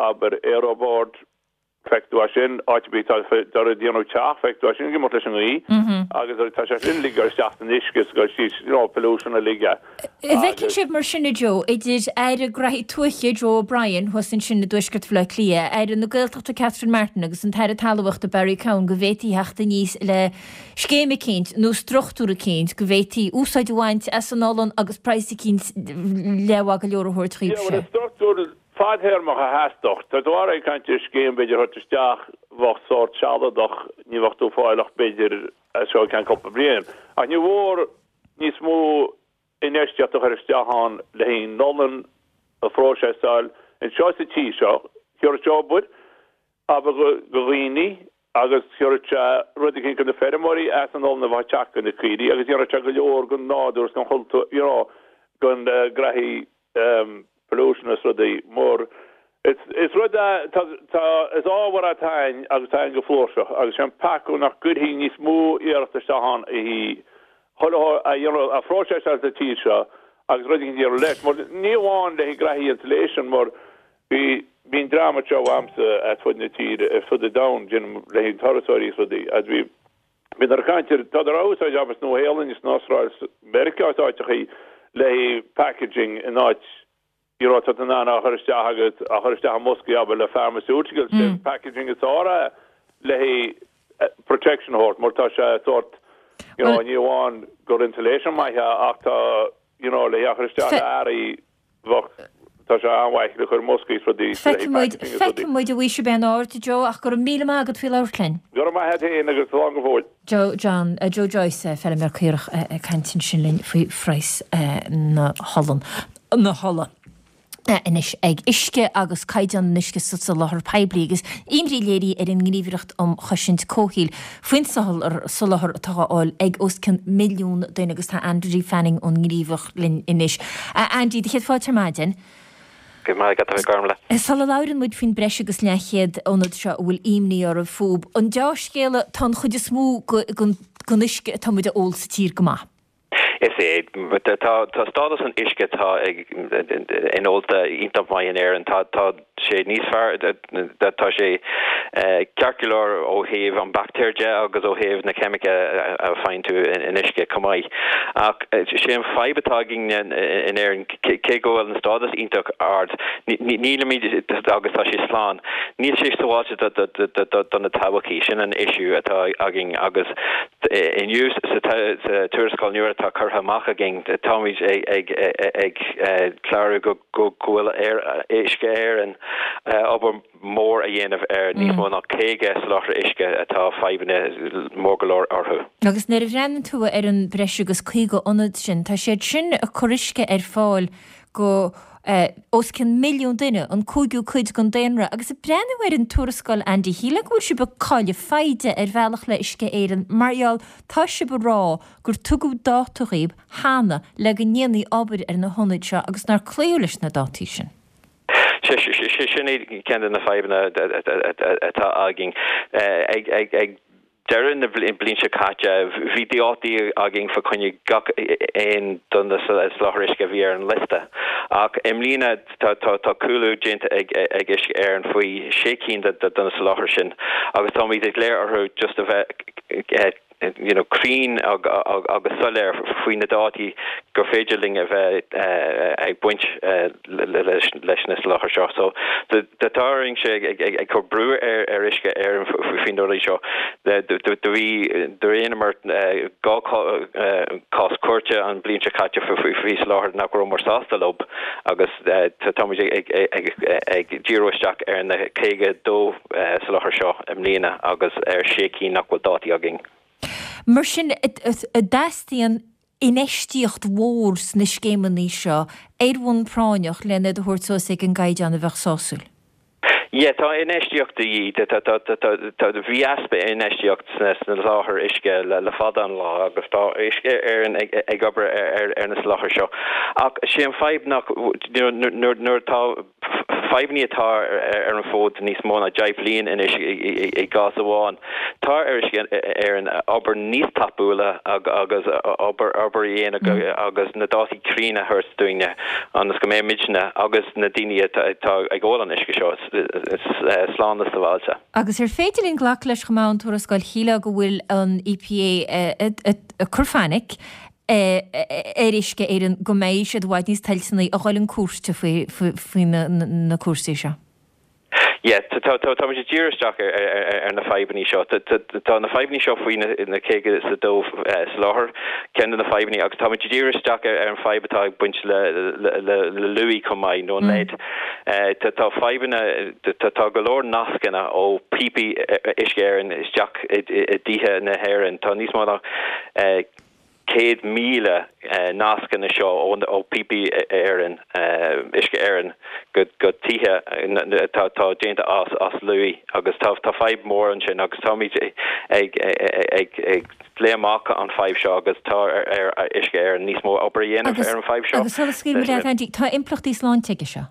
abair aeroboard Feicfidh tú é sin, áit ar bith atá ag déanamh teach, feicfidh tú é sin ag imeacht leis an ngaoth agus tá sé sin uilig ag dul isteach san uisce is ag dul síos, you know, pollution uilig é. An bhfeiceann sibh mar sin, a Joe, idir Aire Graithí Tuaithe, Joe O'Brien, thuas ansin i dTuaisceart Bhaile Átha Cliath, Aire na Gaeltachta Catherine Martin agus an tAire Talmhaíochta Barry Cowen go bhféadfaí theacht aníos le scéim eicínt nó struchtúr eicínt go bhféadfaí úsáid a bhaint as an olann agus praghas eicínt leathmhaith go leor a thabhairt Yeah, dhaoibhse? well, is struchtúr Fadthéarmach a theastódh. Tá tú ag caint ar scéim b'fhéidir a thabhairt isteach bheadh sórt sealadach, ní bheadh tú ag fáil ach b'fhéidir as seo go ceann cúpla bliain. Ach ní mhór níos mó infheistíocht a chur isteach ann le haghaidh an olann a phróiseasáil anseo sa tír seo. Thiúrfadh sé obair, abair, do dhaoine agus thiúrfadh sé rud eicínt do na feirmeoirí as an olann a bheadh ag teacht do na caoirigh agus dhéanfadh sé go leor don nádúr is don chultúr, you know, don graithí pollution is rudaí mar is rud é tá tá is ábhar é atá ann agus tá ann go flúirseach agus sé an peaca nach gcuirfí níos mó iarracht isteach ann í chuile a dhéanamh a phróiseáil sa tír seo agus rud éigin a dhéanamh leis mar ní amháin le haghaidh graithí insulation mar bhí bíonn dream anseo uaimse ar fud na tíre ar fud an domhain déanaim le haghaidh turasóirí is rudaí agus bhí Bíodar ag caint ar, tádar á úsáid abair sa Nua-Shéalainn is san Astráil is Meiriceá is áiteachaí le haghaidh packaging in áit you know tá tú in ann á chur isteach agat, á chur isteach i mboscaí abair le pharmaceuticals, sé an packaging is fearr é le haghaidh protection a thabhairt mar tá sé sórt you know ní amháin gur insulation maith é ach tá you know le haghaidh á chur isteach le earraí Bheadh, tá sé an-mhaith le cur i mboscaí is rudaí, le Feicfidh muid, packaging is rudaí. feicfidh muid a bhí sibh in airde, Joe, ach go raibh míle maith agat faoi labhairt linn. Go raibh maith a't fhéin agus slán go fóill. Joe John, Joe Joyce, feilméar caorach ag caint ansin linn faoi phraghas na holann, na hola anois ag Uisce agus caighdeán an uisce sa soláthar poiblí agus imní léirithe ar an nGníomhaireacht um Chosaint Comhshaoil faoin soláthar atá á fháil ag os cionn milliún duine agus tá Andy Fanning ón nGníomhaireacht linn anois. A Andy, do chéad fáilte ar maidin. Go raibh maith agat, a Ghormfhlaith. Sula labhrann muid faoin breis agus leathchéad ionad seo a bhfuil imní oraibh fúb, an deá-scéala, tá an chuid is mó den uisce atá muid a ól sa tír go maith. Is ea. Tá stádas an uisce atá inólta iontach maith in Éirinn. Tá sé níos fearr, tá sé ceart go leor ó thaobh an baictéir de agus ó thaobh na ceimice a faigheann tú in uisce chomh maith. Ach sé an fadhb atá againn in Éirinn, cé go bhfuil an stádas iontach ard, nílimid, agus tá sé slán, níl sé sábháilte do na todhchaí. Sin an issue atá againn agus inniu sa tuarascáil nua atá curtha amach againn, táimid ag clárú go go bhfuil ar Uisce Éireann obair mhór a dhéanamh ar níos mó ná 50 soláthraí uisce atá fadhbanna mór go leor orthu. Agus nuair a bhreathnaíonn tú ar an breis agus 50 ionad sin, tá siad sin ag cur uisce ar fáil go os cionn milliún duine, an cúigiú cuid den daonra. Agus ag breathnú ar an tuarascáil, Andy, shílfeá go bhfuil sibh ag cailleadh foighde ar bhealach le Uisce Éireann mar gheall tá sibh ag rá gur tugadh dáta dhaoib cheana le go ndéanfaí obair ar na hionaid seo agus nár cloíodh leis na dátaí sin. Sin é ceann de na fadhbanna atá againn. Ag deireadh na bliana seo caite, bhí dátaí againn fá choinne gach aon de na soláthair uisce a bhí ar an liosta. Ach i mbliana tá cúlú déanta ag Uisce Éireann faoi sé cinn de na soláthair sin agus táimid ag glaoch orthu just a bheith. you know cruinn agus soiléir faoi na dátaí gur féidir linn a bheith ag baint leis na soláthair seo. So tá orainn-se ag cur brú ar Uisce Éireann faoi na rudaí seo. Do bhí do rinneamar 2 cás cúirte an bliain seo caite faoi soláthair nach rabhamar sásta leo agus táimid ag díriú isteach ar na 52 soláthar seo i mbliana agus ar sé cinn nach bhfuil dátaí againn. Mar sin, an dteastaíonn infheistíocht mhór sna scéimeanna seo ar bhonn práinneach len iad a thabhairt suas ag an gcaighdeán a bheadh sásúil? Yeah, tá infheistíocht de dhíth. Tá, bhí easpa infheistíocht sna soláthair uisce le fada an lá agus tá Uisce Éireann ag obair ar na soláthair seo. Ach sé an fadhb nach, you know, nuair atá fadhbanna atá ar an bhfód níos mó ná 10 bhliain anois i gcás amháin. Tá ar Uisce Éireann obair níos tapúla agus obair a dhéanamh agus na dátaí cruinne a thabhairt dúinne ionas go mbeidh muidne agus na daoine atá ag ól an uisce seo slán is sábháilte. Agus ar féidir linn glacadh leis chomh maith ón tuarascáil shílfeá go bhfuil an EPA ag cur fainic ar Uisce Éireann go mbeidh siad i bhfad níos toilteanaí a dhul chun cúirte faoi na cúrsaí seo. Yeah, táimid ag díriú isteach ar na fadhbanna seo. Tá na fadhbanna seo faoi na 52 soláthar, ceann de na fadhbanna, agus táimid ag díriú isteach ar an fadhb atá ag baint le luaidhe chomh maith, nó an lead. Tá fadhbanna, tá go leor nascanna ó píopaí Uisce Éireann isteach i dtithe na hÉireann. Tá níos mó ná 100,000 nascanna seo ó píopaí Éireann, Uisce Éireann go tithe atá déanta as luaidhe agus tá fadhb mór ansin agus táimid ag léamh amach an fadhb seo agus tá ar Uisce Éireann níos mó obair a dhéanamh ar an fadhb seo. Agus sula scaoilfidh muid leat Andy, tá impleachtaí sláinte aige seo?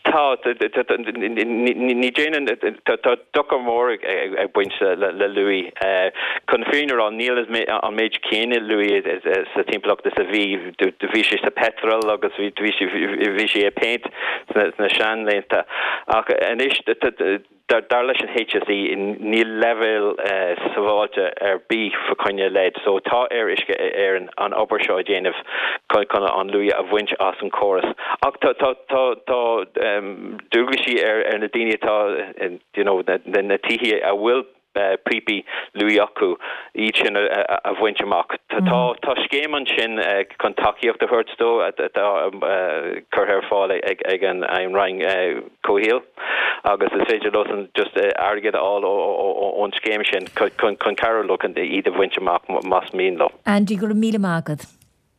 Tá, ní déanann, tá dochar mór ag baint le luaidhe. Chun na fírinne a rá, níl an méid céanna luaidhe sa timpeallacht is a bhí. Bhí sé sa peitreal agus bhí sé i péint sna seanlaethanta. Ach anois, Dar leis an HSE, níl leibhéal sábháilte ar bith fa choinne lead, so tá ar Uisce Éireann an obair seo a dhéanamh chun an luaidhe a bhaint as an chóras. Ach tá dualgaisí ar na daoine atá, you know, na tithe a bhfuil píopaí luaidhe acu, iad sin a bhaint amach. Tá scéim ansin chun tacaíocht a thabhairt dó atá curtha ar fáil ag an Roinn Comhshaoil agus is féidir leosan just airgead a fháil ón scéim sin chun cabhrú leo chun iad a bhaint amach más mian leo. Andy, go raibh míle maith agat.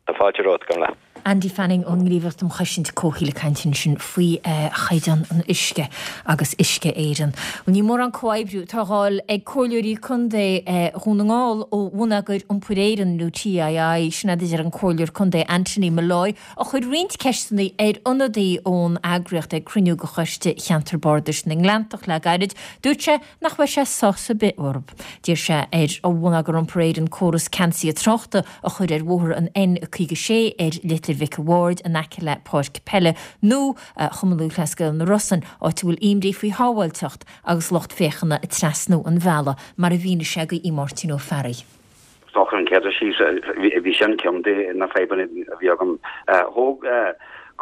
Tá fáilte romhat, gabh i leith. Andy Fanning ón nGníomhaireacht um Chosaint Comhshaoil ag caint ansin faoi chaighdeán an uisce agus Uisce Éireann. Bhuel níl mórán comhoibriú atá á fháil ag comhairleoirí contae Dhún na nGall ó Bhonneagar Iompair Éireann nó TII, sin a deir an Comhairleoir Contae Anthony Molloy a chuir roinnt ceisteanna ar ionadaí ón eagraíocht ag cruinniú de Choiste Cheantar Bardais na nGleanntach le gairid. Dúirt sé nach bhfuil sé sásamh ar bith orthu. D'iarr sé ar Bhonneagar Iompair Éireann córas ceansaithe tráchta a chur ar bhóthar an N56 ar Leitir Mhic a' Bhaird in aice le páirc peile nua Chumann Lúthchleas Gael na Rosann, áit a bhfuil imní faoi shábháilteacht agus lucht féachana ag trasnú an bhealaigh, mar a mhínigh sé do Mháirtín Ó Fearraigh. Is dócha an chéad síos, bhí sin ceann de na fadhbanna a bhí agam. Thóg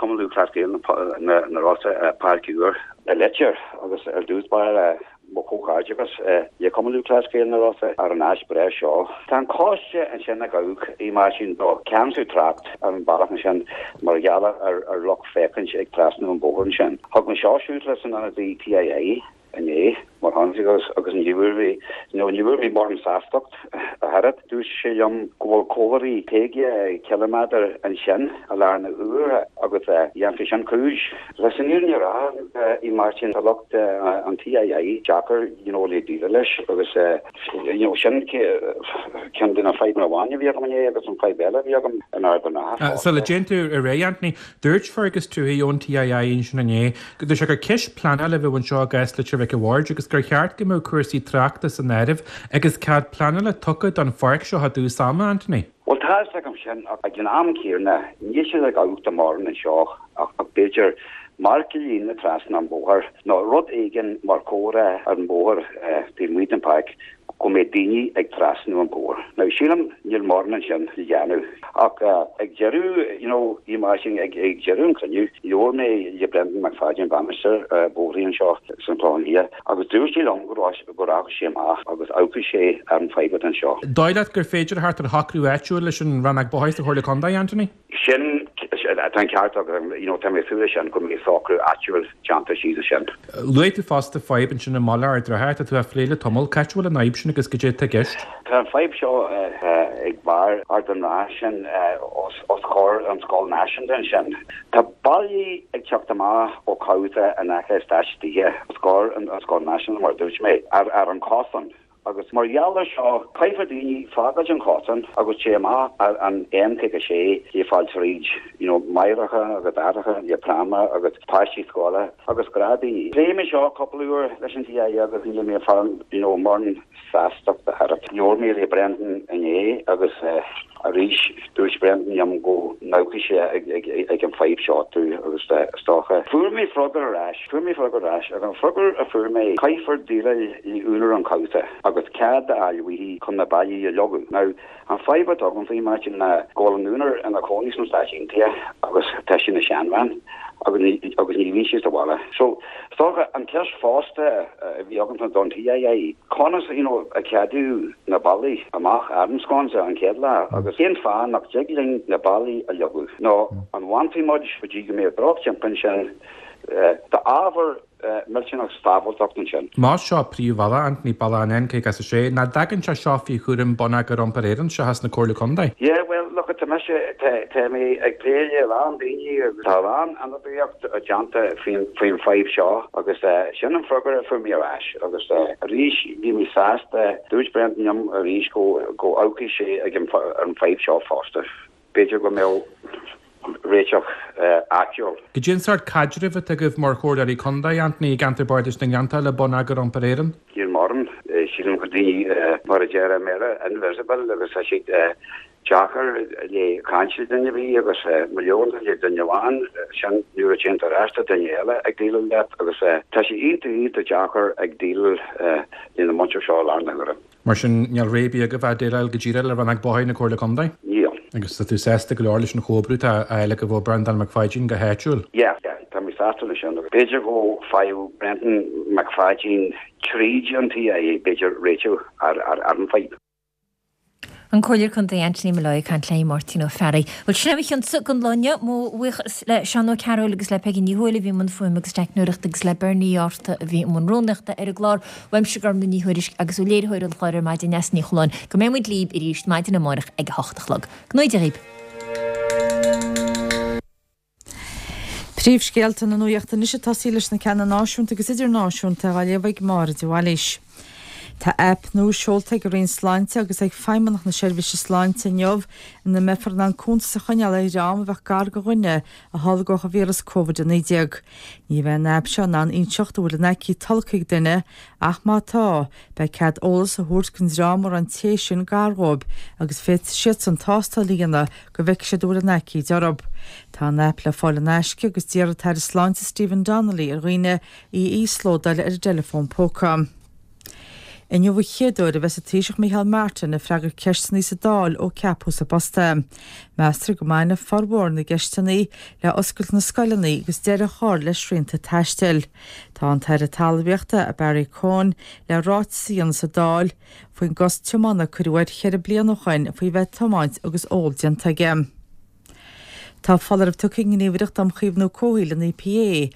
Cumann Lúthchleas Gael na Rosa páirc úr i Leitir agus ar dtús báire mo chomhghairdeachas le Cumann Lúthchleas Gael na Rosa ar an áis breá seo. Tá an coiste ansin a gabhadh i Máirtín do ceansú trácht ar an bealach ansin mar gheall ar lucht féachaint ag trasnú an bhóthair ansin. Thug mé seo siúd leis an ionadaí TII. inné, mar tháinig agus agus ní bhfuair mé, nó ní bhfuair mé mórán sástacht ach oiread. Dúirt sé liom go bhfuil comharthaí 50 ciliméadar ansin i lár na huaire agus dhéanfaidh sin cúis. Leis an fhírinne a rá, a Mháirtín, tá lucht an TII deacair you know le déileáil leis agus you know sin ceann de na fadhbanna amháin a bhí agam inné agus an fadhb eile a bhí agam in Ard an Rátha fosta. Sula dtéann tú ar aghaidh, Anthony, Dúirt Fergus Tuohy ón TII ansin inné go dúirt sé gur ceist pleanála a bheadh anseo i gcás Leitir Mhic a' Bhaird agus gur cheart go mbeadh cúrsaí tráchta san áireamh agus cead pleanála tugtha don pháirc seo i dtús ama, Anthony. Bhuel, tá fhios agam sin ach ag an am céanna níl siad ag amharc do mórán anseo ach b'fhéidir marc líne trasna an bhóthair nó rud éigin mar chomhartha ar an bhóthar taobh amuigh den pháirc. go mbeidh daoine ag trasnú an bóthar. Now sílim níl mórán ansin le dhéanamh ach ag deireadh you know i Máirtín ag deireadh an cruinniú labhair mé le Brendan McFadyen bainisteoir bóithre anseo san Clochán Liath agus dúirt sé liom go go rachaidh sé amach agus amharcfaidh sé ar an fadhb atá anseo. Dóigh leat gur féidir a theacht ar shocrú áitiúil leis an Rannóg Bóithre sa Chomhairle Contae, Anthony? Sin, tá an ceart agat, you know, tá mé ag súil leis sin, go mbeidh socrú áitiúil déanta síos ansin. Luaigh tú fosta fadhb ansin i mBaile Ard Rátha, tá tú á phlé le tamall. Cá háit a bhfuil an fhadhb sin agus goidé atá i gceist? Tá an fadhb seo ag barr Ard an Rátha sin os comhair an Scoil Náisiúnta ansin. Tá ballaí ag teacht amach ó chabhsa in aice eastáit tithe os comhair an Scoil Náisiúnta mar a dúirt mé, ar an cosán. Agus mar gheall ar seo, caithfidh daoine fágáilt an chosán agus téigh amach ar an N56 le fáil tríd, you know, máithreacha agus aithreacha le práma agus páistí scoile agus gnáthdhaoine. Phléigh mé seo cúpla uair leis an TII agus níl mé ag fáil, you know, mórán sástacht air. Labhair mé le Brendan inné agus arís dúirt Brendan liom go n-amharcfaidh sé ag an fadhb seo too agus is dócha. Fuair mé freagra ar ais, fuair mé freagra ar ais agus an freagra a fuair mé, caithfear déileáil le úinéir an chabhsa agus cead a fháil uaithi chun na ballaí a leagadh. Now, an fadhb atá agam faoi, Máirtín, ná go bhfuil an úinéir ina cónaí sna Stáit Aontaithe agus tá sí ina seanbhean agus ní bhíonn sí sa bhaile. So, Is dócha, an ceist fosta a bhí agamsa don TII, conas you know a ceadaíodh na ballaí amach ar an sconsa an chéad lá agus cén fáth nach dtig linn na ballaí a leagadh? Nó an bhfanfaidh muid go dtí go mbeidh drochthimpeall ansin d'ábhar millteanach sábháilteacht ansin? Más seo príomhbhealach, Anthony, bealach an N56, nach dtagann sé seo faoi chúram Bonneagar Iompair Éireann seachas na Comhairle Contae? Yeah, well, look, tá mise, tá mé ag plé le a lán daoine agus tá a lán ionadaíocht déanta faoin fadhb seo agus sin an freagra a fuair mé ar ais agus arís bhí mé sásta, dúirt Brendan liom arís go amharcfaidh sé ag an ar an fadhb seo fosta. B'fhéidir go mbeadh réiteach áitiúil. Goidé an sórt caidrimh atá agaibh mar Chomhairleoirí Contae, Anthony, i gceantar Bardais na nGleanntach le Bonneagar Iompair Éireann? Níl mórán. Sílim go daoine, mar a deir i mBéarla, invisible agus tá siad deacair le caint le duine ar bith agus má labhrann tú le duine amháin, sin nuair a téann tú ar ais tá duine eile ag déileáil leat agus tá sé iontach iontach deacair ag déileáil lena muintir seo i láthair na huaire. Mar sin níl rogha ar bith agaibh ach déileáil go díreach le Rannóg Bóithre na Comhairle Contae? Níl. Agus tá tú sásta go leor leis an chomhoibriú atá á fháil agaibh ó Breandán McPháidín go háitiúil? Yeah, yeah, tá mé sásta leis sin agus b'fhéidir go bhfaigheadh Brendan McPháidín tríd an TII b'fhéidir réiteach ar an bhfadhb. An Comhairleoir Contae Anthony Molloy ag caint le Máirtín Ó Fearraigh. Bhuel, sin é mo chionsa don lá inniu. Mo bhuíochas le Seán Ó Cearúil agus le Peigí Ní Thuathail a bhí i mbun fuaime agus teicneoireachta agus le Bernie Uí Fhátharta a bhí i mbun rúnaíochta ar an gclár. Uaimse Gormlaith Ní Thuairisg agus ó léiritheoir an chláir ar maidin, Neasa Ní Choileáin, go mbeidh muid libh arís maidin amárach ag a hocht a chlog. Go ngnóthaí Dia dhaoib. Príomhscéalta na nuachta anois ag tosaí leis na ceanna náisiúnta agus idirnáisiúnta á léamh ag Máire de Bhailís. Tá aip nua seolta ag an Roinn Sláinte agus ag Feidhmeannacht na Seirbhíse Sláinte inniu ina mbeifear in ann cuntas a choinneáil ar dhream a bheadh gar do dhuine a tholgódh an víreas Covid-19. Ní bheidh an aip seo in ann inseacht an bhfuil an aicíd tolgtha ag duine ach má tá, beidh cead eolas a thabhairt don dream a raibh an té sin gar dhóibh agus féadfaidh siadsan tástáil a dhéanamh go bhfeicfidh siad an bhfuil an aicíd orthu. Tá an aip le fáil in aisce agus d'iarr an tAire Sláinte Stephen Donnelly ar dhaoine í a íoslódáil ar a dteileafón póca. Inniu an chéad uair a bheas an Taoiseach Micheál Martin ag freagairt ceisteanna sa Dáil ó ceapadh sa bpost é. Meastar go mbainfidh formhór na gceisteanna le oscailt na scoileanna agus deireadh a chur le srianta taistil. Tá an tAire Talmhaíochta, Barry Cowen, le ráiteas a dhéanamh sa Dáil faoin gcosc tiomána a cuireadh air cheithre bliana ó shoin faoi bheith ag tiomáint agus ól déanta aige. Tá foláireamh tugtha ag an nGníomhaireacht um Chaomhnú Comhshaoil, an EPA,